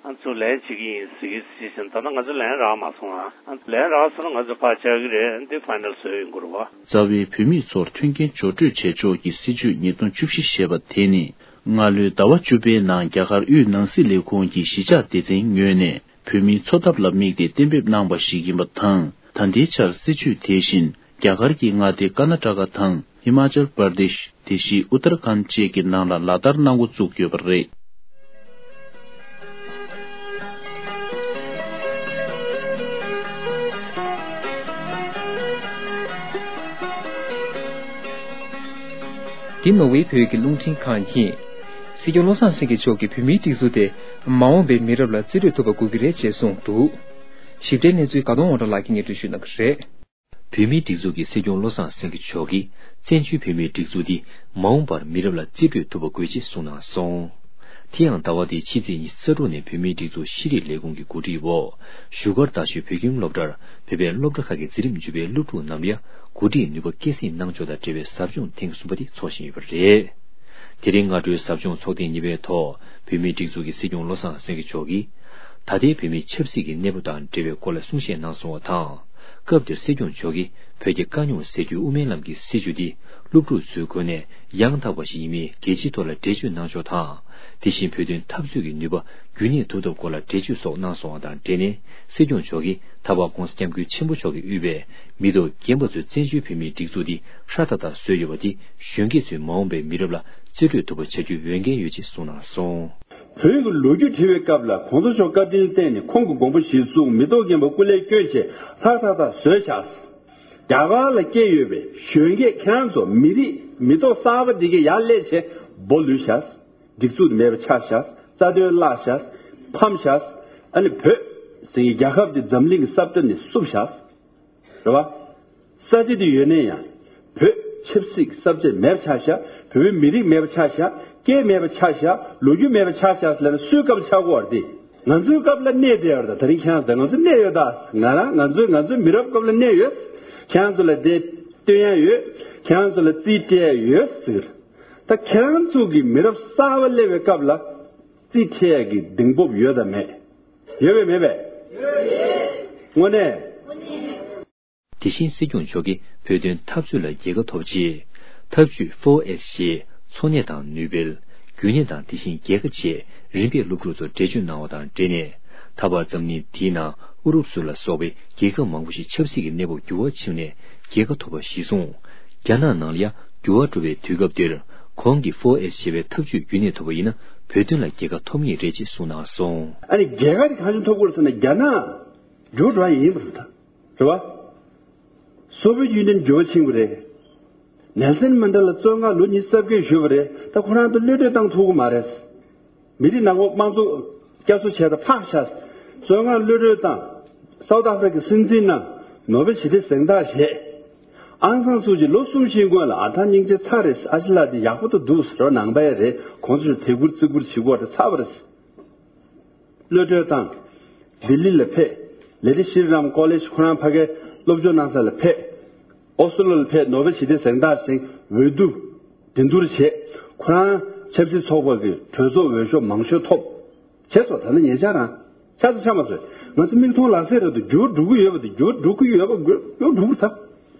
ཨ་ཚུར་ལན་བྱེད་ཀྱི་ཡིན་ཟེར་གྱི་ཟེར་བཞིན། ད་ལྟ་ང་ཚོ་ལན་རག་མ་སོང་ཨ། ལན་རག་སོང་ན་ང་ཚོ་ཕར་བཅར་གྱི་རེད། འདི་ཕའི་ནལ་བཟོས་ཡོང་གི་རེད་བ། རྩ་བའི་བོད་མི་ཚོར་མཐུན་རྐྱེན་སྦྱོར་སྤྲོད་བྱེད་ཕྱོགས་ཀྱི་སྲིད་ཇུས་ཉིས་སྟོང་བཅུ་བཞི་ཞེས་པ་དེ་ནི་སྔ་ལོའི་ཟླ་བ་བཅུ་པའི་ནང་རྒྱ་གར་དབུས་ནང་སྲིད་ལས་ཁུངས་ཀྱི་གཞིས་ཆགས་སྡེ་ཚན་ངོས་ནས་བོད་མིའི་འཚོ་ཐབས་ལ་དམིགས་ཏེ་གཏན་འབེབས་གནང་བ་ཞིག་ཡིན་པ་དང་། ད་ལྟའི་ཆར་སྲིད་ཇུས་དེ་བཞིན་རྒྱ་གར་གྱི་མངའ་སྡེ་ཀར་ན་ཊ་ཀ་དང་ཧི་མ་ཅལ་པར་དེ་ཤི། དེ་བཞིན་ཨུ་ཏར་ཁཱན་བཅས་ཀྱི་ནང་ལ་ལག་བསྟར་གནང་འགོ་བཙུགས་ཡོད་པ་རེད། འདི་ནོར་ཝེ་བོད་ཀྱི་རླུང་འཕྲིན་ཁང་ཡིན། སྲིད་སྐྱོང་བློ་བཟང་སེང་གེ་མཆོག་གིས་བོད་མིའི་སྒྲིག་འཛུགས་དེ་མ་འོངས་པའི་མི་རབས་ལ་རྩིས་སྤྲོད་ཐུབ་པ་དགོས་ཀྱི་རེད་ཅེས་གསུངས་འདུག། ཞིབ་ཕྲའི་གནས་ཚུལ་དགའ་གདོང་དབང་གྲགས་ལགས་ཀྱིས་སྙན་སྒྲོན་ཞུ་གནང་གི་རེད། བོད་མིའི་སྒྲིག་འཛུགས་ཀྱི་སྲིད་སྐྱོང་བློ་བཟང་སེང་གེ་མཆོག་གིས་བཙན་བྱོལ་བོད་མིའི་སྒྲིག་འཛུགས་འདི་མ་འོངས་པར་མི་རབས་ལ་རྩིས་སྤྲོད་ཐུབ་པ་དགོས་ཅེས་གསུངས་གནང་སོང་། དེ་ཡང་ཟླ་བ་འདིའི་ཕྱི་ཚེས་ཉི་ཤུ་རྩ་དྲུག་ནས་བོད་མིའི་སྒྲིག་འཛུགས་ཤེས་རིག་ལས་ཁུངས་ཀྱི་གོ་སྒྲིག་འོག་བཞུགས་སྒར་རྡ་ཤོད་བོད་ཁྱིམ་སློབ་གྲྭར་བོད་པའི་སློབ་གྲྭ་ཁག་གི་འཛིན་རིམ་བརྒྱུད་པའི་སློབ་ཕྲུག་རྣམས་ལ་གོ་སྒྲིག་ནུས་པ་སྐྱེད་སྲིང་གནང་ཕྱོགས་དང་འབྲེལ་བའི་ཟབ་སྦྱོང་ཐེངས་གསུམ་པ་དེ་འཚོགས་བཞིན་ཡོད་པ་རེད། དེ་རིང་སྔ་དྲོའི་ཟབ་སྦྱོང་ཚོགས་ཐེངས་གཉིས་པའི་ཐོག་བོད་མིའི་སྒྲིག་འཛུགས་ཀྱི་སྲིད་སྐྱོང་བློ་བཟང་སེང་གེ་མཆོག་གིས། ད་ལྟའི་བོད་མིའི་ཆབ་སྲིད་ཀྱི་གནས་བབ་དང་འབྲེལ་བའི་སྐོར་ལ་གསུང་བཤད་གནང་སོང་བ་དང་། སྐབས་དེར་སྲིད་སྐྱོང་མཆོག་གིས་བོད་རྒྱ་དཀའ་རྙོག་སེལ་རྒྱུའི་དབུ་མའི་ལམ་གྱི་སྲིད་བྱུས་འདི་སློབ་ཕྲུག་ཚོའི་ངོས་ནས་ཡང་དག་པ་ཞིག་ཡིན་མིན་རྒྱལ་སྤྱིའི་ཐོག་ལ་འགྲེལ་བརྗོད་གནང་ཕྱོགས་དང་། དེ་བཞིན་བོད་དོན་འཐབ་རྩོད་ཀྱི་ནུས་པ་རྒྱུན་གནས་ཐུབ་ཐབས་སྐོར་ལ་འགྲེལ་བརྗོད་སོགས་གནང་སོང་བ་དང་འབྲེལ་ནས། སྲིད་སྐྱོང་མཆོག་གིས་ད་བར་༸གོང་ས་༸སྐྱབས་མགོན་ཆེན་པོ་མཆོག་གིས་དབུས་པའི་མི་ཐོག་རྒན་པ་ཚོས་བཙན་བྱོལ་བོད་མིའི་སྒྲིག་འཛུགས་འདི་ཧྲ་ཐག་ཐག་བཟོས་ཡོད་པ་འདི་གཞོན་སྐྱེས་ཚོས་མ་འོངས་པའི་མི་རབས་ལ་རྩིས་སྤྲོད་ཐུབ་པ་བྱ་རྒྱུའི་འོས་འགན་ཡོད་ཅེས་གསུངས་གནང་སོང་། བོད་ཀྱི་ལོ་རྒྱུས་བྲིས་པའི་སྐབས་ལ་གོང་ས་མཆོག་བཀའ་དྲིན་བརྟེན་ནས་ཁོང་གི་དགོངས་པ་གཞིར་བཟུང་མི་ཐོག་རྒན་པ་སྐུ་ལས་བསྐྱོན་བྱས་ལྷག་ཐག་ཐག་བཟོས་བཞག་རྒྱ་གར་ལ་སྐྱེས་ཡོད་པའི་གཞོན་སྐྱེས་ཁྱེད་རང་ཚོ་མི་རིགས་མི་ཐོག་གསར་པ་འདི་གའི་ཡར་སླེབས་བྱས་སྦོ་ལུས་བཞག་སྒྲིག་འཛུགས་མེད་པ་ཆགས་བཞག་རྩ་དོན་བརླག་བཞག་ཕམ་བཞག་ཨ་ནི་བོད་ཟེར་གྱི་རྒྱལ་ཁབ་འདི་འཛམ་གླིང་གི་ས་བཀྲ་ནས་བསུབ་བཞག་རེད་བ། ས་ཆ་དེ་ཡོད་ནའི་ཡང་། བོད་ཆབ་སྲིད་ཀྱི་ས་བཅད་མེད་པ་ཆགས་ཤག་བོད་པའི་མི་རིགས་མེད་པ་ཆགས་ཤག་སྐད་མེད་པ་ཆགས་ཤག་ལོ་རྒྱུས་མེད་པ་ཆགས་ཤག་ཟེར་ན་སུའི་སྐབས་ལ་ཆགས་ཀྱི་ཡོད་རེད་དེ། ང་ཚོའི་སྐབས་ལ་གནས་བསྡད་ཡོད་རེད་ད། ད་རིང་ཁྱེད་རང་ཚོ་ང་ཚོ་གནས་ཡོད་ད། ང་རང་ང་ཚོའི་ང་ཚོའི་མི་རབས་སྐབས་ལ་གནས་ཡོད། ཁྱེད་རང་ཚོ་ལ་དེ་སྟོན་ཡ་ཡོད། ཁྱེད་རང་ཚོ་ལ་རྩིས་སྤྲད་ཡ་ཡོད་ཟེར། ད་ཁྱེད་རང་ཚོ་གི་མི་རབས་གསར་པ་སླེབས་པའི་སྐབས་ལ་རྩིས་སྤྲད་ཡ་གི་གདེང་སྤོབས་ཡོད་དམ་མེད། ཡོད་པས་མེད་པས། དངོས་གནས། དེ་བཞིན་སྲིད་སྐྱོང་མཆོག་གིས་བོད་དོན་འཐབ་རྩོད་ལ་རྒྱལ་ཁ་ཐོབ་ཆེད། འཐབ་ཇུས་ཕོར་ཨེས་ཞེས་འཚོ་གནས་དང་ནུས་སྤེལ། རྒྱུན་གནས་དང་དེ་བཞིན་རྒྱལ་ཁ་བཅས་རིམ་པས་སློབ་ཕྲུག་ཚོར་འགྲེལ་བརྗོད་གནང་བ་དང་འབྲེལ་ནས། ད་བར་འཛམ་གླིང་འདིའི་ནང་ཨུ་རུབ་སུ་ལ་སོགས་པའི་རྒྱལ་ཁབ་མང་པོ་ཞིག་ཆབ་སྲིད་ཀྱི་གནས་བབ་འགྱུར་བ་ཕྱིན་ནས་རྒྱལ་ཁ་ཐོབ་པ་གཞིར་བཟུང་། རྒྱ་ནག་ནང་ལ་ཡང་འགྱུར་བ་འགྲོ་བའི་དུས་སྐབས་འདིར་གོང་གི་ཕོར་ཨེས་ཞེས་པའི་འཐབ་ཇུས་རྒྱུན་གནས་ཐུབ་པ་ཡིན་ན་བོད་དོན་ལ་རྒྱལ་ཁ་ཐོབ་ངེས་རེད་ཅེས་གསུངས་གནང་སོང་། ཨ་ནི་རྒྱལ་ཁ་དེ་གང་བྱུང་ཐོབ་དགོས་ཟེར་ན་རྒྱ་ནག་འགྱུར་འགྲོ་ཡ་ཡིན་པ་རེད་ད། རེད་བ། སོ་བི་ཡེ་ཡུ་ནི་ཡན་འགྱུར་བ་ཕྱིན་པ་རེད། ནེལ་སན་མན་ཌེ་ལ་བཙོན་ཁང་ལོ་ཉི་ཤུ་རྩ་བརྒྱད་བཞུགས་པ་རེད། ད་ཁོ་རང་ཚོ་གློད་གྲོལ་བཏང་ཐུབ་ཀྱི་མ་རེད། མི་རིགས་ནང་ཁུལ་དམངས་གཙོ་བསྐྱར་གསོ་བྱས་ད་ཕག་ཤ། བཙོན་ཁང་གློད་གྲོལ་བཏང་། སའུ་ཐ་ཨ་ཧྥི་རི་ཀའི་སྲིད་འཛིན་གནང་། ནོ་བེལ་ཞི་བདེ་གཟེངས་རྟགས་བཞེས། ཨང་སང་སུ་ཅི་ལོ་གསུམ་བཞིའི་སྔོན་ལ་ཨ་ཐང་སྙིང་རྗེ་ཚ་རེད། ཨ་ཅེ་ལགས་འདི་ཡག་པོ་ད་འདུག་ཟེར་བ་ནང་པའི་རེད། གོང་ས་མཆོག་དད་བཀུར་བརྩི་བཀུར་བྱེད་དགོས་རེད། ཚ་བ་རེད། གློད་གྲོལ་བཏང་། ལྡི་ལི་ལ་ཕེབས། ལེ་ཏི་ཤྲི་རམ་ཀོ་ལེཇ་ཁོ་རང་ཕ་གིར་སློབ་སྦྱོང་གནང་ས་ལ་ཕེབས། ཨོ་སི་ལོ་ལ་ཕེབས། ནོ་བེལ་ཞི་བདེ་གཟེངས་རྟགས་ཟིན། འོས་བསྡུ་འགྲན་བསྡུར་བྱས། ཁོ་རང་ཆབ་སྲིད་ཚོགས་པ་གི་གྲོས་ཚོགས་འོས་ཤོག་མང་ཤོས་ཐོབ། བྱས་སོ། ད་ནི་ཉེ་ཆར་རང་ཆགས་སུ་ཆགས་མ་སོང་། ང་ཚོ་མིག་མཐོང་ལག་ཟིན་རེད་འདུག་འགྱུར་འགྲོ་གི་ཡོད་པ་དེ། འགྱུར་འགྲོ་གི་ཡོད་པ་འགྱུར་འགྲོ་གི་ད།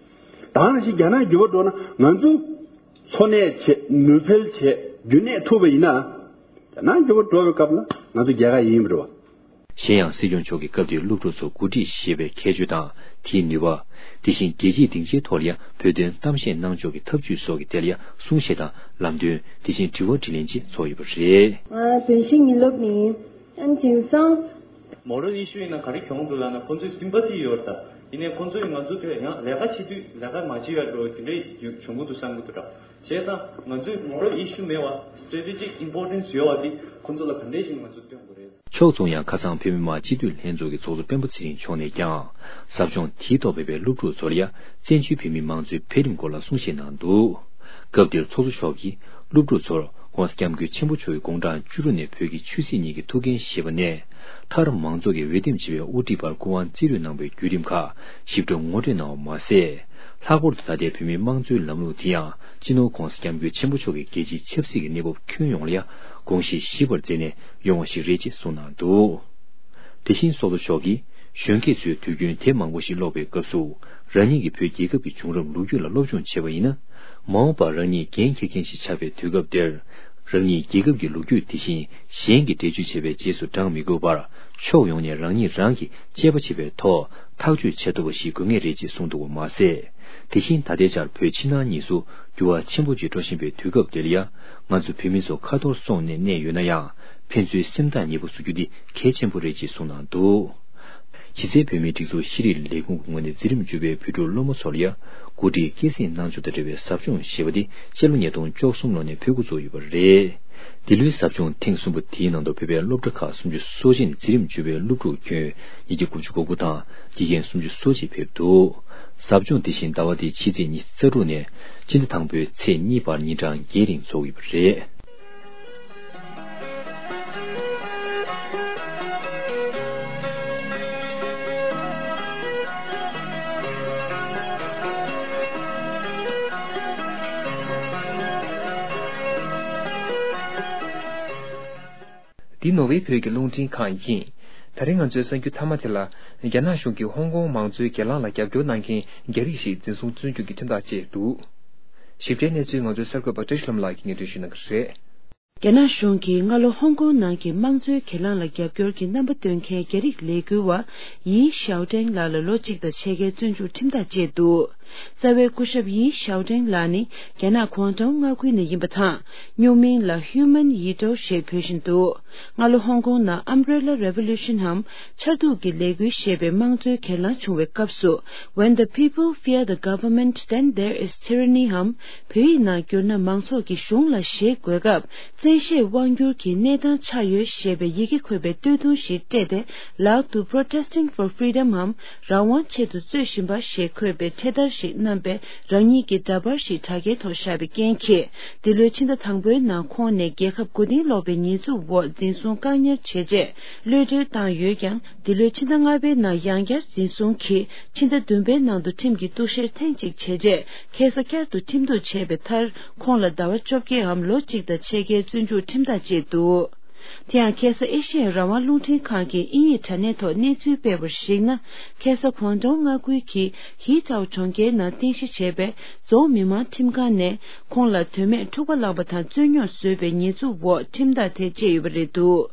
ད་ནང་བཞིན་རྒྱ་ནག་འགྱུར་བ་འགྲོ་ན་ང་ཚོ་འཚོ་གནས་བྱེད། ནུས་སྤེལ་བྱེད། རྒྱུན་གནས་ཐུབ་པ་ཡིན་ན། ད་ནང་འགྱུར་བ་འགྲོ་བའི་སྐབས་ལ་ང་ཚོ་རྒྱལ་ཁ་ཡིན་པ་རེད་བ། གཞན་ཡང་སྲིད་སྐྱོང་མཆོག་གིས་སྐབས་དེའི་སློབ་ཕྲུག་ཚོ་གོ་སྒྲིག་ཞེས་པའི་ཁྱད་ཆོས་དང་དེའི་ནུས་པ། དེ་བཞིན་རྒྱལ་སྤྱིའི་སྡིངས་ཆའི་ཐོག་ལ་ཡང་བོད་དོན་གཏམ་བཤད་གནང་ཕྱོགས་ཀྱི་ཐབས་ཇུས་སོགས་ཀྱི་ཐད་ལ་ཡང་གསུང་བཤད་དང་ལམ་སྟོན། དེ་བཞིན་དྲི་བ་དྲིས་ལན་བཅས་ཚོགས་ཡོད་པ་རེད། ང་བདེན་བཞི་ཉིན་སློབ་ནི་ཡིན། ཨན་དེང་སང་། མོ་རལ་ཨི་ཤུ་ཡིན་ན་ག་རེ་གྱོང་འདུག་ལབ་ན་ཁོང་ཚོའི་སིམ་པ་ཐི་ཡོད་རེད་ད། ཡིན་ནའི་ཁོང་ཚོས་ང་ཚོ་དེ་ཡང་ལས་ཀ་བྱེད་དུས་ལས་ཀ་མ་བྱེད་ཡ་འགྲོ་དེ་འདྲའི་བྱུང་གི་འདུག་བསམ་གི་འདུག་ད། བྱས་ཙང་ང་ཚོས་མོ་རལ་ཨི་ཤུ་མེད་པ་སི་ཊེ་ཊེ་ཇིག་ཨིམ་པོར་ཊེན་སི་ཡོད་པ་དེ་ཁོང་ཚོ་ལ་ག་འདྲས་ཤིག་ང་ཚོས་སྟོན་དགོས་རེད། ཕྱོགས་མཚུངས་ཡང་ཁ་སང་བོད་མི་མང་སྤྱི་འཐུས་ལྷན་ཚོགས་ཀྱི་ཚོགས་གཙོ་སྤེན་པ་ཚེ་རིང་མཆོག་ནས་ཀྱང་ཟབ་སྦྱོང་དེའི་ཐོག་ཕེབས་པའི་སློབ་ཕྲུག་ཚོར་ཡང་བཙན་བྱོལ་བོད་མིའི་དམངས་གཙོའི་འཕེལ་རིམ་སྐོར་ལ་གསུང་བཤད་གནང་འདུག་སྐབས་དེར་ཚོགས་གཙོ་མཆོག་གིས་སློབ་ཕྲུག་ཚོར་༸གོང་ས་༸སྐྱབས་མགོན་ཆེན་པོ་མཆོག་གི་དགུང་གྲངས་བཅུ་དྲུག་ནས་བོད་ཀྱི་ཆོས་སྲིད་གཉིས་ཀྱི་ཐུགས་འགན་བཞེས་པ་ནས་མཐར་མང་གཙོ་གི་འོས་འདེམས་བྱེད་པའི་དབུ་ཁྲིད་པར་སྐུ་དབང་བརྩི་རོལ་གནང་བའི་བརྒྱུད་རིམ་ཁག་ཞིབ་ཕྲ་ངོ་སྤྲོད་གནང་བ་མ་ཟད། ལྷག་པར་དུ་ད་ལྟའི་བོད་མིའི་དམངས་གཙོའི་ལམ་ལུགས་དེ་ཡང་སྤྱི་ནོར་༸གོང་ས་༸སྐྱབས་མགོན་ཆེན་པོ་མཆོག་གི་རྒྱལ་སྤྱིའི་ཆབ་སྲིད་ཀྱི་གནས་བབ་ཁྱོན་ཡོངས་ལ་ཡང་དགོངས་བཞེས་ཞིབ་པར་མཛད་ནས་ཡོང་བ་ཞིག་རེད་ཅེས་གསུངས་གནང་འདུག་དེ་བཞིན་ཚོགས་གཙོ་མཆོག་གིས་གཞོན་སྐྱེས་ཚོས་དུས་རྒྱུན་དེབ་མང་པོ་ཞིག་ཀློག་པའི་སྐབས་སུ་རང་ཉིད་ཀྱིས་བོད་རྒྱལ་ཁབ་ཀྱི་བྱུང་རབས་ལོ་རྒྱུས་ལ་སློབ་སྦྱོང་བྱས་པ་ཡིན་ན། མ་འོངས་པར་རང་ཉིད་འགན་འཁྱེར་མཁན་ཞིག་ཆགས་པའི་དུས་སྐབས་དེར། རང་ཉིད་རྒྱལ་ཁབ་ཀྱི་ལོ་རྒྱུས་དེ་བཞིན་གཞན་གྱིས་འགྲེལ་བརྗོད་བྱས་པའི་རྗེས་སུ་འབྲང་མི་དགོས་པར། ཕྱོགས་ཡོངས་ནས་རང་ཉིད་རང་གིས་དཔྱད་པ་བྱེད་པའི་ཐོག་ཐག་གཅོད་བྱེད་ཐུབ་པ་ཞིག་དགོས་ངེས་རེད་ཅེས་གསུངས་འདུག་པ་མ་ཟད། དེ་བཞིན་ད་ལྟའི་ཆར་བོད་ཕྱི་ནང་གཉིས་སུ་འགྱུར་བ་ཆེན་པོ་ཅིག་འགྲོ་བཞིན་པའི་དུས་སྐབས་འདིར་ཡང་། ང་ཚོ་བོད་མི་ཚོ་ཁ་ཐོར་སོང་ནས་གནས་ཡོད་ན་ཡང་། ཕན་ཚུན་སེམས་ཐག་ཉེ་པོ་བཟོ་རྒྱུ་འདི་གལ་ཆེན་པོ་རེད་ཅེས་གསུངས་གནང་འདུག་གཞི་རྩའི་བོད་མིའི་སྒྲིག་འཛུགས་ཤེས་རིག་ལས་ཁུངས་ཀྱི་ངོས་ནས་འཛིན་རིམ་བཅུ་པའི་བོད་ཕྲུག་སློབ་མ་ཚོ་ལ་ཡང་འགོ་ཁྲིད་སྐྱེད་སྲིང་གནང་ཕྱོགས་དང་འབྲེལ་བའི་ཟབ་སྦྱོང་ཞེས་པ་དེ་སྤྱི་ལོ་ཉིས་སྟོང་བཅུ་གསུམ་ལོ་ནས་ཕེབས་འགོ་བཙུགས་ཡོད་པ་རེད། འདི་ལོའི་ཟབ་སྦྱོང་ཐེངས་གསུམ་པ་དེའི་ནང་དུ་བོད་པའི་སློབ་གྲྭ་ཁག་སུམ་ཅུ་སོ་གཅིག་ནས་འཛིན་རིམ་བཅུ་པའི་སློབ་ཕྲུག་ཁྱོན་ཉིས་བརྒྱ་དགུ་བཅུ་གོ་དགུ་དང་དགེ་རྒན་སུམ་ཅུ་སོ་གཅིག་ཕེབས་འདུག་ཟབ་སྦྱོང་དེ་བཞིན་ཟླ་བ་འདིའི་ཕྱི་ཚེས་ཉི་ཤུ་རྩ་དྲུག་ནས་སྤྱི་ཟླ་དང་པོའི་ཚེས་གཉིས་བར་ཉིན་གྲངས་བརྒྱད་རིང་འཚོགས་ཡོད་པ་རེད། འདི་ནོར་ཝེ་བོད་ཀྱི་རླུང་འཕྲིན་ཁང་ཡིན། ད་རིང་ང་ཚོའི་གསར་འགྱུར་མཐའ་མ་དེ་ལ། རྒྱ་ནག་གཞུང་གིས་ཧོང་ཀོང་མང་གཙོའི་སྒེར་ལངས་ལ་རྒྱབ་སྐྱོར་གནང་མཁན་རྒྱ་རིགས་ཤིག་འཛིན་བཟུང་བཙོན་འཇུག་གི་ཁྲིམས་ཐག་བཅད་འདུག་ཞིབ་ཕྲའི་གནས་ཚུལ་ང་ཚོའི་གསར་འགོད་པ་བཀྲ་ཤིས་ལྷ་མོ་ལགས་ཀྱིས་སྙན་སྒྲོན་ཞུ་གནང་གི་རེད། རྒྱ་ནག་གཞུང་གིས་སྔ་ལོ་ཧོང་ཀོང་ནང་གི་དམངས་གཙོའི་སྒེར་ལངས་ལ་རྒྱབ་སྐྱོར་གྱི་རྣམ་པ་སྟོན་མཁན་རྒྱ་རིགས་ལས་འགུལ་བ་ཡི་ཞའོ་ཀྲེང་ལགས་ལ་ལོ་གཅིག་དང་ཕྱེད་ཀའི་བཙོན་འཇུག་ཁྲིམས་ཐག་བཅད་འདུག་རྩ་བའི་སྐུ་ཞབས་ཡི་ཞའོ་ཀྲེང་ལགས་ནི་རྒྱ་ནག་གུང་ཀྲོའུ་མངའ་ཁུལ་ནས་ཡིན་པ་དང་། སྨྱུག་མིང་ལ་Human Yidao ཞེས་འབོད་བཞིན་འདུག་སྔ་ལོ་ཧོང་ཀོང་ནང་Umbrella Revolution འམ་ཆར་གདུགས་ཀྱི་ལས་འགུལ་ཞེས་པའི་དམངས་གཙོའི་གྱེན་ལངས་བྱུང་བའི་སྐབས་སུ། When the people fear the government, then there is tyranny འམ། བོད་ཡིག་ནང་བསྒྱུར་ན་མང་ཚོགས་ཀྱིས་གཞུང་ལ་ཞེད་དགོས་སྐབས། བཙན་ཤེད་དབང་སྒྱུར་གྱི་གནས་སྟངས་ཆགས་ཡོད་ཞེས་པའི་ཡི་གེ་འཁོད་པའི་སྟོད་ཐུང་ཞིག་སྤྲས་ཏེ། ལག་ཏུ་Protesting for Freedom འམ། རང་དབང་ཆེད་དུ་རྩོད་བཞིན་པ་ཞེས་འཁོད་པའི་འཕྲེད་དར་ཞིག་བསྣམས་པའི་རང་ཉིད་ཀྱི་འདྲ་པར་ཞིག་དྲ་རྒྱའི་ཐོག་བཞག་པའི་རྐྱེན་གྱིས། འདི་ལོའི་ཕྱི་ཟླ་དང་པོའི་ནང་ཁོང་ནས་རྒྱལ་ཁབ་མགོ་རྟིང་སློག་པའི་ཉེས་འཛུགས་འོག་འཛིན་བཟུང་བཀག་ཉར་བྱས་རྗེས་གློད་གྲོལ་བཏང་ཡོད་ཀྱང་། འདི་ལོའི་ཕྱི་ཟླ་ལྔ་པའི་ནང་ཡང་བསྐྱར་འཛིན་བཟུང་གིས་ཕྱི་ཟླ་བདུན་པའི་ནང་དུ་ཁྲིམས་ཀྱི་གཏུག་བཤེར་ཐེངས་གཅིག་བྱས་རྗེས་ཁ་སང་བསྐྱར་དུ་ཁྲིམས་གཏུག་བྱས་པའི་མཐར། ཁོང་ལ་ཟླ་བ་བཅོ་བརྒྱད་འམ་ལོ་གཅིག་དང་ཕྱེད་ཀའི་བཙོན་འཇུག་ཁྲིམས་ཐག་བཅད་འདུག་དེ་ཡང་ཁ་སང་ཨེ་ཤེ་ཡ་རང་དབང་རླུང་འཕྲིན་ཁང་གིས་དབྱིན་ཡིག་དྲ་གནས་ཐོག་གནས་ཚུལ་སྤེལ་བར་གཞིགས་ན། ཁ་སང་གུང་ཀྲོའུ་མངའ་ཁུལ་གྱི་ཧི་ཀྲའོ་གྲོང་ཁྱེར་ནང་རྟེན་གཞི་བྱས་པའི་རྫོང་མི་མང་ཁྲིམས་ཁང་ནས་ཁོང་ལ་དོན་མེད་འཁྲུག་པ་བསླངས་པ་དང་རྩོད་རྙོག་བཟོས་པའི་ཉེས་འཛུགས་འོག་ཁྲིམས་ཐག་དེ་བཅད་ཡོད་པ་རེད་འདུག་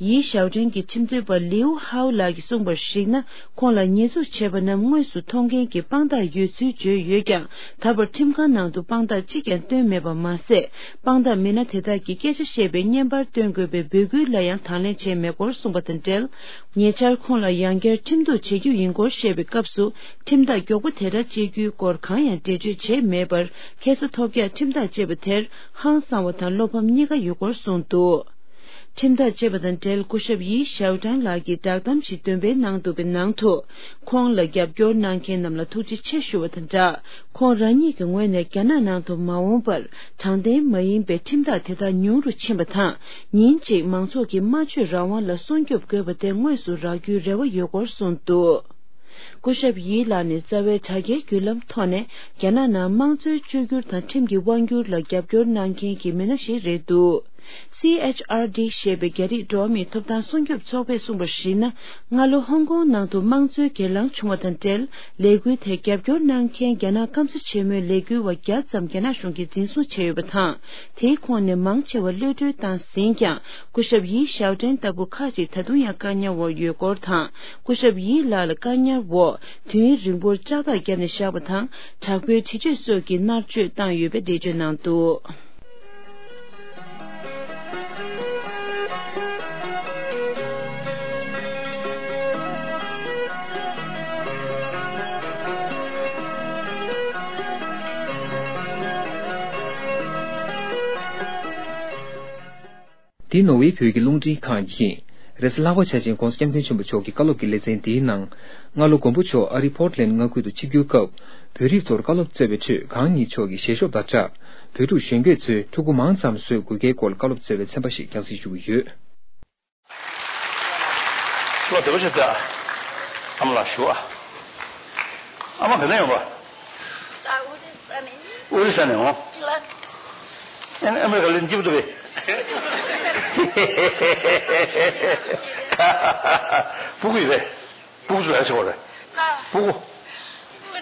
ཡི་ཞའོ་ཀྲེང་གི་ཁྲིམས་རྩོད་པ་ལིའུ་ཧའོ་ལགས་ཀྱིས་གསུངས་པར་གཞིགས་ན། ཁོང་ལ་ཉེས་འཛུགས་བྱས་པ་རྣམས་དངོས་སུ་མཐོང་མཁན་གྱི་དཔང་རྟགས་ཡོད་ཚུལ་བརྗོད་ཡོད་ཀྱང་། ད་བར་ཁྲིམས་ཁང་ནང་དུ་དཔང་རྟགས་གཅིག་ཀྱང་བཏོན་མེད་པ་མ་ཟད། དཔང་རྟགས་མི་སྣ་དེ་དག་གིས་སྐད་ཆ་བཤད་པའི་བརྙན་པར་སྟོན་དགོས་པའི་འབོད་སྐུལ་ལ་ཡང་དང་ལེན་བྱས་མེད་སྐོར་གསུངས་པ་དང་འབྲེལ། ཉེ་ཆར་ཁོང་ལ་ཡང་བསྐྱར་ཁྲིམས་གཏུག་བྱེད་རྒྱུ་ཡིན་སྐོར་བཤད་པའི་སྐབས་སུ། ཁྲིམས་ཐག་མགྱོགས་པོ་དེ་འདྲ་བཅད་རྒྱུའི་སྐོར་གང་ཡང་འགྲེལ་བརྗོད་བྱས་མེད་པར། ཁ་སང་ཐོལ་རྒྱག་ཁྲིམས་ཐག་བཅད་པ་དེར་ཧང་སངས་པ་དང་བློ་ཕམ་གཉིས་ཀ་ཡོད་སྐོར་གསུངས་འདུག་ཁྲིམས་ཐག་བཅད་པ་དང་འབྲེལ་སྐུ་ཞབས་ཡི་ཞའོ་ཀྲང་ལགས་ཀྱིས་བསྒྲགས་གཏམ་ཞིག་འདོན་པའི་ནང་འདུག་པའི་ནང་དུ། ཁོང་ལ་རྒྱབ་སྐྱོར་གནང་མཁན་རྣམས་ལ་ཐུགས་རྗེ་ཆེ་ཞུ་བ་དང་སྦྲགས། ཁོང་རང་ཉིད་ཀྱི་ངོས་ནས་རྒྱ་ནག་ནང་དུ་མ་འོངས་པར་དྲང་བདེན་མ་ཡིན་པའི་ཁྲིམས་ཐག་དེ་དག་ཉུང་རུ་ཕྱིན་པ་དང་། ཉིན་གཅིག་མང་ཚོགས་ཀྱི་སྨྲ་བརྗོད་རང་དབང་ལ་སྲུང་སྐྱོབ་དགོས་པ་དེ་དངོས་སུ་རག་རྒྱུའི་རེ་བ་ཡོད་སྐོར་གསུངས་འདུག་སྐུ་ཞབས་ཡི་ལགས་ནས་རྩ་བའི་དྲ་རྒྱའི་བརྒྱུད་ལམ་ཐོག་ནས་རྒྱ་ནག་ནང་དམངས་གཙོའི་བཅོས་བསྒྱུར་དང་ཁྲིམས་ཀྱི་དབང་བསྒྱུར་ལ་རྒྱབ་སྐྱོར་གནང་མཁན་གྱི་མི་སྣ་ཞིག་རེད་འདུག་སི་ཨེཆ་ཨར་ཌི་ཞེས་པའི་རྒྱ་རིགས་འགྲོ་བ་མིའི་ཐོབ་ཐང་སྲུང་སྐྱོབ་ཚོགས་པས་གསུངས་པར་གཞིགས་ན། སྔ་ལོ་ཧོང་ཀོང་ནང་དུ་དམངས་གཙོའི་གྱེན་ལངས་བྱུང་བ་དང་འབྲེལ། ལས་འགུལ་དེར་རྒྱབ་སྐྱོར་གནང་མཁན་རྒྱ་ནག་སྐམ་ས་ཆེན་མོའི་ལས་འགུལ་བ་བརྒྱ་ཙམ་རྒྱ་ནག་གཞུང་གིས་འཛིན་བཟུང་བྱས་ཡོད་པ་དང་། དེའི་ཁོངས་ནས་མང་ཆེ་བ་གློད་གྲོལ་བཏང་ཟིན་ཀྱང་། སྐུ་ཞབས་ཡི་ཞའོ་ཀྲེང་ལྟ་བུ་ཁག་ཅིག་ད་དུང་ཡང་བཀག་ཉར་འོག་ཡོད་སྐོར་དང་། སྐུ་ཞབས་ཡི་ལགས་ལ་བཀག་ཉར་འོག་དུས་ཡུན་རིང་པོར་ལྕགས་ཐག་བརྒྱབ་ནས་བཞག་པ་དང་། དྲག་པོའི་འདྲི་གཅོད་སོགས་ཀྱི་མནར་གཅོད་བཏང་ཡོད་པའི་འགྲེལ་བརྗོད་གནང་འདུག་འདི་ནོར་ཝེ་བོད་ཀྱི་རླུང་འཕྲིན་ཁང་ཡིན། རེས་གཟའ་ལྷག་པ་འཆར་ཅན་༧གོང་ས་༧སྐྱབས་མགོན་ཆེན་པོ་མཆོག་གི་བཀའ་སློབ་ཀྱི་ལེ་ཚན་འདིའི་ནང་། སྔ་ལོ་མགོན་པོ་མཆོག་ཨ་རིའི་པོར་ཊི་ལེན་ཌི་མངའ་ཁུལ་དུ་ཆིབས་བསྒྱུར་སྐབས། བོད་རིགས་ཚོར་བཀའ་སློབ་སྩལ་བའི་ཁྲོད་གང་ཉིད་མཆོག་གི་ཞལ་ཤོབ་དང་སྦྲགས། བོད་ཕྲུག་གཞོན་སྐྱེས་ཚོས་ཕྲུ་གུ་མང་ཙམ་བཟོ་དགོས་གལ་སྐོར་བཀའ་སློབ་སྩལ་བའི་ཚན་པ་ཞིག་རྒྱང་སྲིང་ཞུ་གི་ཡོད། ལོ་དེ་བ་ཆེ་ད། ཨ་མ་ལགས་ཞུ་ཨ། ཨ་མ་ག་ནས་ཡོང་བ། ཨོ་རི་ས་ནས། ཨོ་རི་ས་ནས་འོང་། ཨ་ནི་ཨ་མ་ག་ལེན་སྐྱིད་པོ་འདུག་པས། ཕྲུ་གུ་ཡོད་པས། ཕྲུ་གུ་ཚོ་ལ་ཆེ་བ་རེད། ཕྲུ་གུ།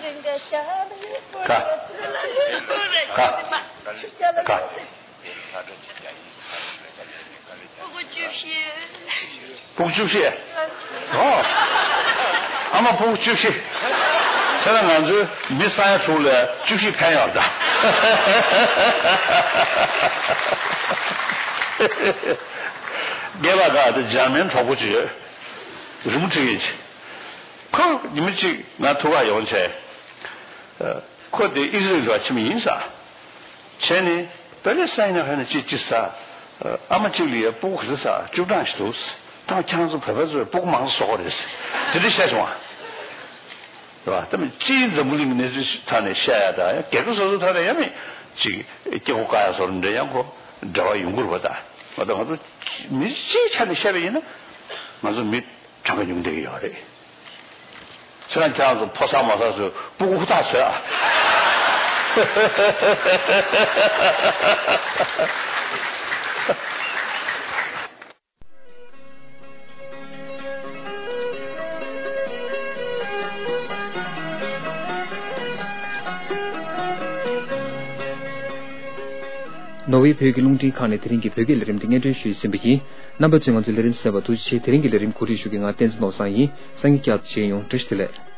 ག་ག་ག་ཕྲུ་གུ་བཅུ་བཞི། ཨོ། ཨ་མ་ཕྲུ་གུ་བཅུ་བཞི། ཚེ་ན་ང་ཚོའི་མི་ས་ཡ་དྲུག་ལ་བཅུ་བཞི་ཕན་ཡོད་ད། རྒན་པ་ག་དེ་འཇར་མན་གྲོགས་པོ་ཅིག་ཡོད། རི་མོ་བྲིས་ཡིན་ཅིག་ཁོ་ཉི་མ་གཅིག་ང་ཐུག་ག་ཡོང་བྱས། ཁོ་དེ་ཨི་ཟི་རེལ་ལ་ཕྱིན་པ་ཡིན་ས། བྱས་ནས་པེ་ལེ་སི་ཐན་ནང་ཧ་ནས་ཅི་ཅི་ས། ཨ་མ་གཅིག་ལ་ཡ་ཕྲུ་གུ་ག་ཚོད་ས་བཅུ་གྲངས་ཤིག་འདུག་ད་ཁྱེད་རང་ཚོ་བོད་པ་ཚོས་ཕྲུ་གུ་མང་ཙམ་བཟོ་དགོས་རེད། དེ་འདྲ་བཤད་བྱུང་བ། རེད་བ། ད་མི་སྤྱིའི་འཛམ་བུ་གླིང་གི་གནས་ཚུལ་ཐོག་ནས་བཤད་ཡ་ད་ཡང་རྒྱལ་ཁབ་སོ་སོའི་ཐོག་ནས་ཡང་མི་ཅིག་སྐྱེ་བོ་བཀག་ཡ་བཟོ་འདྲ་ཡང་ཁོ་འབྲེལ་བ་ཡོང་གི་རེད་བ་ད། ང་ད་ང་ཚོ་མི་སྤྱིའི་ཆ་ནས་བཤད་པ་ཡིན་ན་ང་ཚོ་མི་གྲངས་ཀ་ཉུང་བསྡད་ཀྱི་ཡོད་རེད། ཁྱེད་རང་ཁྱེད་རང་ཚོ་ཕོ་གསར་མོ་གསར་ཚོས་ཕྲུ་གུ་ཧུར་ཐག་བཟོས་ཨ། ནོར་ཝེ་བོད་ཀྱི་རླུང་འཕྲིན་ཁང་ནས་དེ་རིང་གི་བོད་སྐད་ལས་རིམ་འདི་སྙན་སྒྲོན་ཞུས་ཟིན་པ་ཡིན། རྣམ་པ་ཚོས་ང་ཚོའི་ལས་རིམ་གསན་པར་ཐུགས་རྗེ་ཆེ། དེ་རིང་གི་ལས་རིམ་གོ་སྒྲིག་ཞུ་མཁན་ང་བསྟན་འཛིན་ནོར་བཟང་ཡིན། སང་ཉིན་བསྐྱར་དུ་མཇལ་ཡོང་། བཀྲ་ཤིས་བདེ་ལེགས།